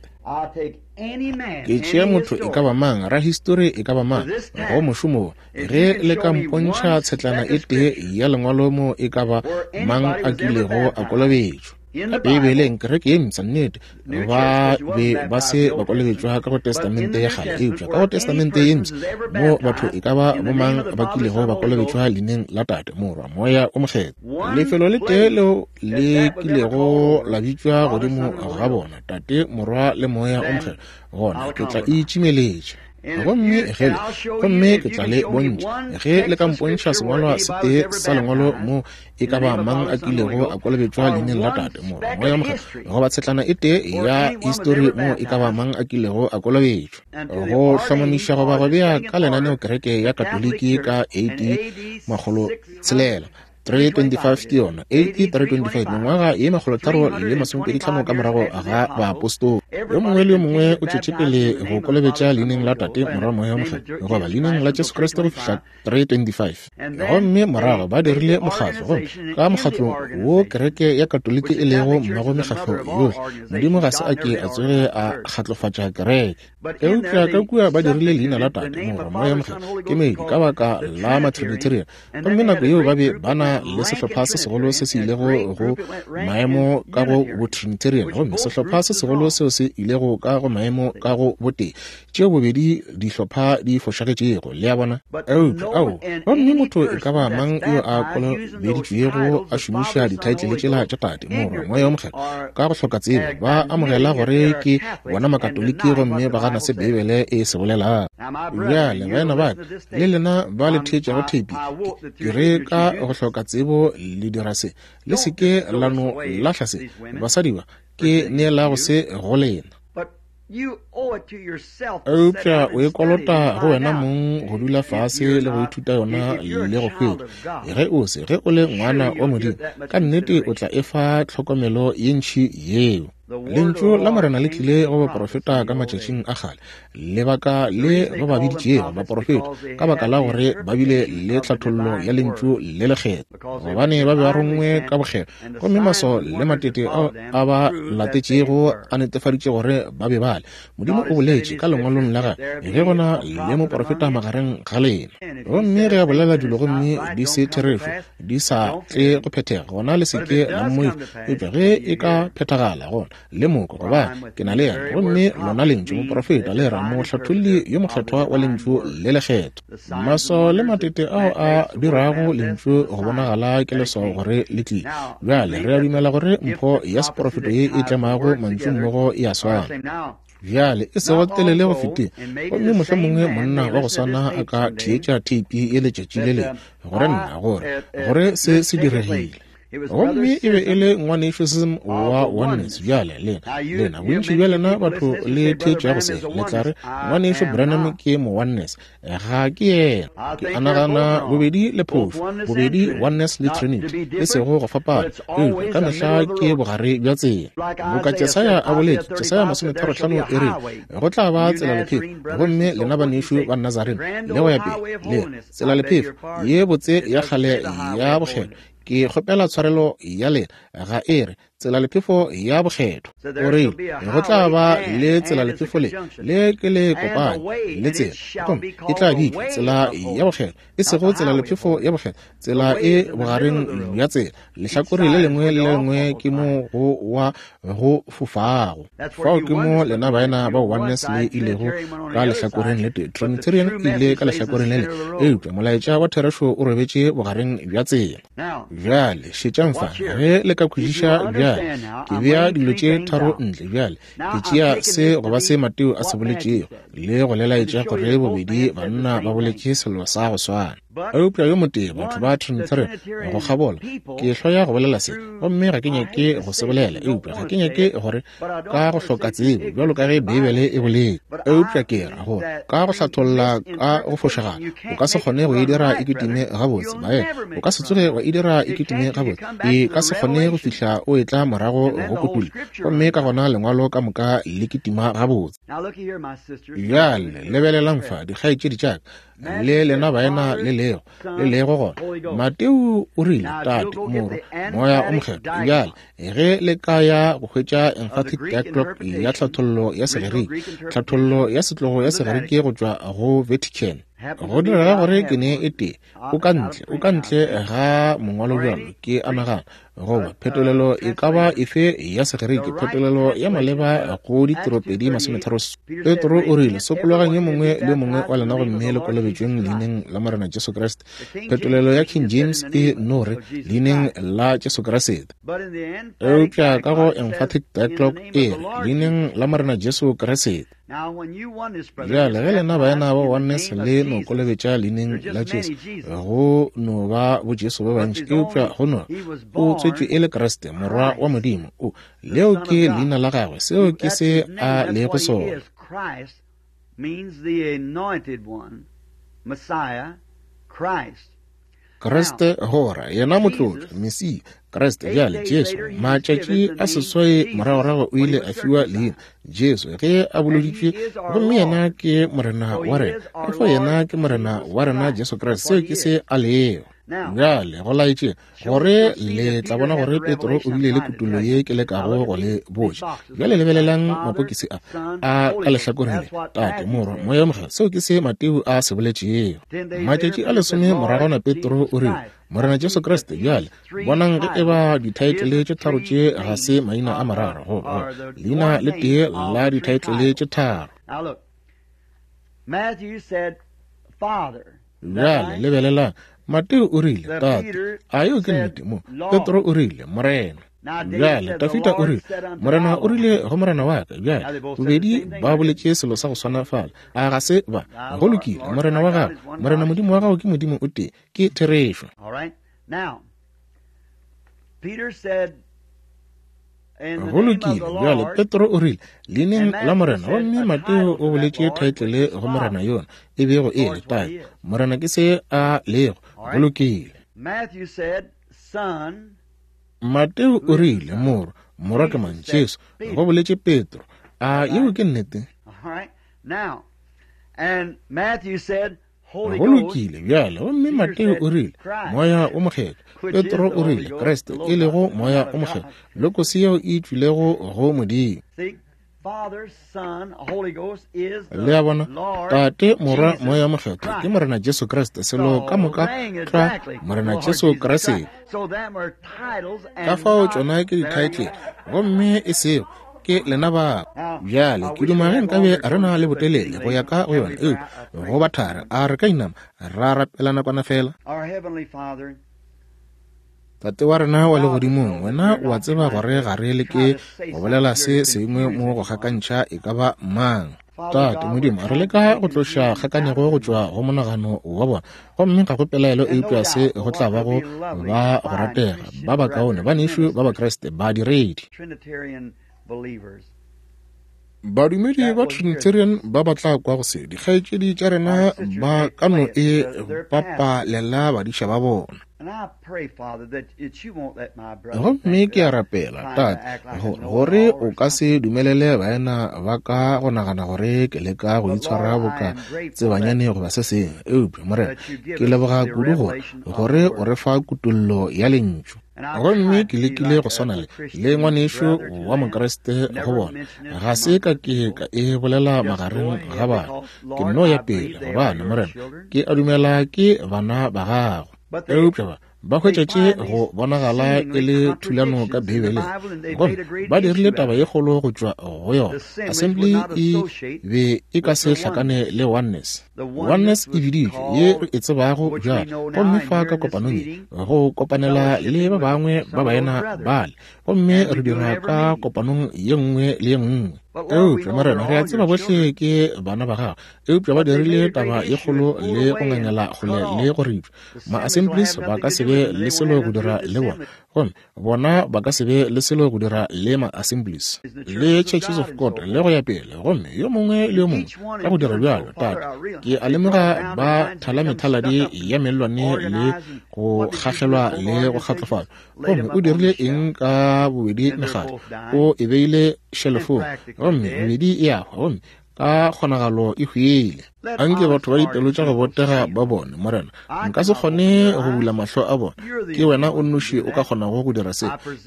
Ke tšea motho e ka ba mang, rahistori e ka ba mang, go mošomo wo, ge le ka mpontšha tshetlana e tee ya lengwalo mo e ka ba mang a kilego a kolobetšwa ka Beibeleng, kereke ye mpsha, nnete, ba be ba se ba kolobetšwa ka go Testamente ya kgale, eupša ka go Testamente ye mpsha mo batho e ka ba bomang ba kilego ba kolobetšwa leineng la Tate, Morwa, Moya o Mokgethwa. Lefelo le tee leo le kilego la bitšwa godimo ga bona, Tate, Morwa le Moya o Mokgethwa, gona ke tla itšimeletša. Gomme ge le, gomme ke tla le bontšha, ge le ka mpontšha sengwalwa se tee sa lengwalo mo e ka ba mang a kilego a kolobetšwa leineng la Tate, Morwa, Moya Mokgethwa, goba tshetlana e tee ya histori mo e ka ba mang a kilego a kolobetšwa. Go hlomamiša goba go bea ka lenaneo kereke ya Katoliki ka A D makgolo tshelela three twenty-five ke yona, A D three twenty-five, mengwaga ye makgolo tharo le masomepedi tlhano ka morago ga baapostola. Yo mongwe le yo mongwe o tšwetše pele go kolobetša leineng la Tate, Morwa, Moya Mokgethwa, goba leineng la Jesu Kriste go fihla three twenty-five. Gomme morago ba dirile mokgatlo, gomme ka mokgatlong wo kereke ya Katoliki e lego mmago mekgatlo yohle, Modimo ga se a ke a tsoge a kgatlofatša kereke. Eupša ka kua ba dirile leina la Tate, Morwa, Moya Mokgethwa ke meedi ka baka la Matrinitarian. Gomme nako yeo ba be ba na le sehlopha se segolo se se ilego go maemo ka go Botrinitarian, gomme sehlopha se segolo seo se ilego ka go maemo ka go botee, tšeo bobedi dihlopha di fošagetšego, le a bona. Eupša ao, gomme motho e ka ba mang yo a kolobeditšwego a šomiša dithaetlele tšela tša Tate, Morwa, Moya Mokgethwa ka go hloka tsebo, ba amogela gore ke bona Makatoliki gomme ba gana se Beibele e se bolelang. Bjale baena ba ka, le lena ba le theetšago theipi, ke re ka go hloka tsebo le dira se, le se ke la no lahla se. Basadi ba, ke neela go se go lena. Eupša o e kolota go wena mong go dula fase le go ithuta yona le go hwetša. Ge o se, ge o le ngwana wa Modimo, ka nnete o tla e fa tlhokomelo ye ntši yeo. Lentšu la Morena le tlile go baprofeta ka matšatšing a kgale, lebaka le ba ba biditšego baprofeta ka baka la gore ba bile le tlhathollo ya lentšu le lekgethwa, gobane ba be ba rongwe ka bokgethwa, gomme maswao le matete ao a ba latetšego a netefaditše gore ba be bale. Modimo o boletše ka lengwalong la gagwe, ge go na le moprofeta magareng ga lena, gomme ge a bolela dilo gomme di se therešo, di sa tle go phethega, gona le se ke la mmoifa. Eupša ge e ka phethagala, gona le moko, gobane ke na le yena. Gomme lona lentšu moprofeta le ra mohlatholli yo mokgethwa wa lentšu le lekgethwa. Maswao le matete ao a dirago lentšu go bonagala ke leswao gore le tlile. Bjale re a dumela gore mpho ya seprofeto ye e tlemago mantšu mmogo e a swana. Bjale e sego telele go fetile, gomme mohlomongwe monna wa go swana a ka theetša theipi ye letšatši le lengwe gore nna gore gore se se diregile. Gomme e be e le ngwanešu Sism wa Oneness. Bjale lena, lena bontši bja lena batho le theetšago se, le tla re ngwanešu Branham ke mo Oneness. Ga ke yena. Ke a nagana bobedi le phošo, bobedi Oneness le Trinity, e sego go fapana, eupša ka mehla ke bogare bja tsela. Boka Jesaya a boletše, Jesaya masometharo-hlano e re, go tla ba tsela lephefo, gomme lena banešu ba Nazarene le go ya pele, le tsela lephefo ye botse ya kgale ya bokgethwa. Ke kgopela tshwarelo ya lena, ga e re tsela lephefo ya bokgethwa. O rile go tla ba le tsela lephefo le le ke le kopane le tsela, gomme e tla bitšwa tsela ya bokgethwa, e sego tsela lephefo ya bokgethwa, tsela e bogareng bja tsela. Lehlakore le lengwe le lengwe ke mo go wa go fofago. Fao ke mo lena baena ba Oneness le ilego ka lehlakoreng le tee, Trinitarian e ile ka lehlakoreng le le, eupša molaetša wa therešo o robetše bogareng bja tsela. Bjale šetšang fa, ge le ka kwešiša bjale, ke bea dilo tše tharo ntle bjale. Ke tšea se goba se Mateo a se boletšego le go le laetša gore bobedi banna ba boletše selo sa go swana. Eupša yo motee, batho ba Trinitarian go kgabola, ke hloya go bolela se, gomme ga ke nyake go se bolela, eupša ga ke nyake gore ka go hloka tsebo bjalo ka ge Beibele e boletše, eupša ke ra gore ka go hlatholla ka go fošagala o ka se kgone go e dira e kitime gabotse. Baena, o ka se tsoge wa e dira e kitime gabotse, e ka se kgone go fihla o etla morago go kotullo, gomme ka gona lengwalo ka moka le kitima gabotse. Bjale lebelelang fa, dikgaetšedi tša ka le lena baena le lego le lego gona. Mateo o rile Tate, Morwa, Moya o Mokgethwa. Bjale ge le ka ya go hwetša emphatic dialogue ya tlhathollo ya Segerike, tlhathollo ya setlogo ya Segerike go tšwa go Vatican, go direga gore ke ne e tee o ka ntle, o ka ntle ga mongwalo bjalo ke a nagana, goba phetolelo e ka ba efe ya Segerike, phetolelo ya maleba go ditiropedi masometharo. Petro o rile, sokologang yo mongwe le yo mongwe wa lena gomme le kolobetšweng leineng la Morena Jesu Kriste. Phetolelo ya King James e no re leineng la Jesu Kriste, eupša ka go emphatic dialogue e re leineng la Morena Jesu Kriste. Bjale ge lena baena ba Oneness le no kolobetša leineng la Jesu, go no ba bo Jesu ba bantši, eupša go no o tswetšwe e le Kriste, Morwa wa Modimo. O leo ke leina la gagwe, seo ke se a lego sona. Kriste gora yena motlotlo, Mesia, Kriste. Bjale Jesu matšatši a seswai moragorago o ile a fiwa leina Jesu ge a boloditšwe, gomme yena ke Morena wa rena. Ka fao yena ke Morena wa rena Jesu Kriste, seo ke se a lego. Bjale go laetše gore le tla bona gore Petro o bile le kutollo ye ke lekago go le botša. Bjale lebelelang mapokisi a a ka lehlakoreng le, Tate, Morwa, Moya o Mokgethwa, seo ke se Mateo a se boletšego. Matšatši a lesome moragwana Petro o rile, Morena Jesu Kriste. Bjale bonang ge e ba dithaetlele tše tharo tše ga se maina a mararo, goba leina le tee la dithaetlele tše tharo. Bjale lebelelang, Mateo o rile Tate, a yeo ke nnete mo. Petro o rile Morena. Bjale Dafida o rile Morena o rile go Morena wa ka. Bjale bobedi ba boletše selo sa go swana fala, a ga se ba? Go lokile, Morena wa gago, Morena Modimo wa gago ke Modimo o tee, ke therešo. Go lokile, bjale Petro o rile, leineng la Morena, gomme Mateo o boletše thaetlele go Morena yona, e bego e le Tate. Morena ke se a lego. Go lokile. Mateo o rile, Morwa, Morwa ke mang? Jesu. Go boletše Petro. A yeo ke nnete? Go lokile, bjale, gomme Mateo o rile, Moya o Mokgethwa. Petro o rile, Kriste, e lego Moya o Mokgethwa, lokosi yeo e tšwilego go Modimo. Le a bona, Tate, Morwa, Moya Mokgethwa ke Morena Jesu Kriste, selo ka moka tlwa Morena Jesu Kriste. Ka fao tšona ke dithaetlele, gomme e sego ke lena ba. Bjale ke duma ge nkabe re na le botelele go ya ka go yona, eupša go ba thari, a re ka inama ra rapela nakwana fela. Tate wa rena wa legodimong, wena o a tseba gore ga re leke go bolela se sengwe mo go gakantšha e ka ba mang. Tate Modimo, re leka go tloša kgakanego go tšwa go monagano wa bona, gomme ga go pelaelo eupša se go tla ba go ba go ratega, ba bakaone, banešu ba Bakriste, badiredi. Badumedi ba Trinitarian ba ba tla kwa go se, dikgaetšedi tša rena ba ka no e papalela badiša ba bona. Gomme ke a rapela, Tate, gore o ka se dumelele baena ba ka go nagana gore ke leka go itshwara boka tsebanyane goba se sengwe. Eupša, Morena, ke leboga kudu gore gore o re fa kutollo ya lentšu. Gomme ke lekile go swana le le ngwanešu wa Mokriste go bona. Ga se ka ke ka e bolela magareng ga bana. Ke nno ya pele, gobane, Morena, ke a dumela ke bana ba gago. Eupša ba ba hwetša tše go bonagala e le thulano ka Beibeleng, gomme ba dirile taba ye kgolo go tšwa go yona. Assembly e be e ka se hlakane le Oneness. Oneness e biditšwe ye re e tsebago bjale, gomme fa ka kopanong ye go kopanela le ba bangwe ba baena bale, gomme re dira ka kopanong ye nngwe le ye nngwe. Eupša, Morena, re a tseba bohle ke bana ba gago, eupša ba dirile taba ye kgolo le go ngangela kgole le go ripša. Ma-Assemblies ba ka se be le selo go dira le bona, gomme bona ba ka se be le selo go dira le ma-Assemblies le Churches of God le go ya pele. Gomme yo mongwe le yo mongwe ka go dira bjalo, Tate, ke a lemoga ba thala methaladi ya mellwane le go kgahlelwa le go kgatlofatšwa. Gomme o dirile eng ka bobedi mekgatlo? O e beile shelofong, gomme bobedi e a hwa, gomme ka kgonagalo e hwile. Anke batho ba dipelo tša go botega ba bone, Morena, nka se kgone go bula mahlo a bona, ke wena o nnoši o ka kgonago go dira se.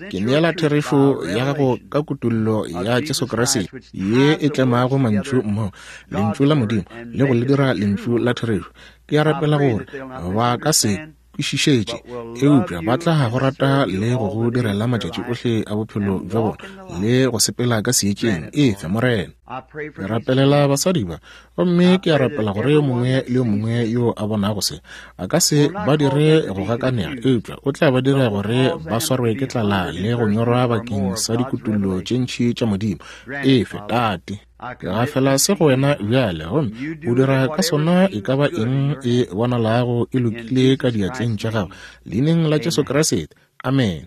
Ke neela therešo ya gago ka kutollo ya Jesu Kriste ye e tlemago mantšu mmogo, lentšu la Modimo, le go le dira lentšu la therešo. Ke a rapela gore ba ka se kwešišetše, eupša ba tla go rata le go go direla matšatši ohle a bophelo bja bona le go sepela ka seetšeng. Efe, Morena. Ke rapelela basadi ba, gomme ke a rapela gore yo mongwe le yo mongwe yo a bonago se a ka se ba dire go gakanega, eupša o tla ba dira gore ba swarwe ke tlala le go nyorwa bakeng sa dikutullo tše ntši tša Modimo. Efe, Tate. Ke gafela se go wena bjale, gomme o dira ka sona e ka ba eng e bonalago e lokile ka diatleng tša gago, leineng la Jesu Kriste. Amen.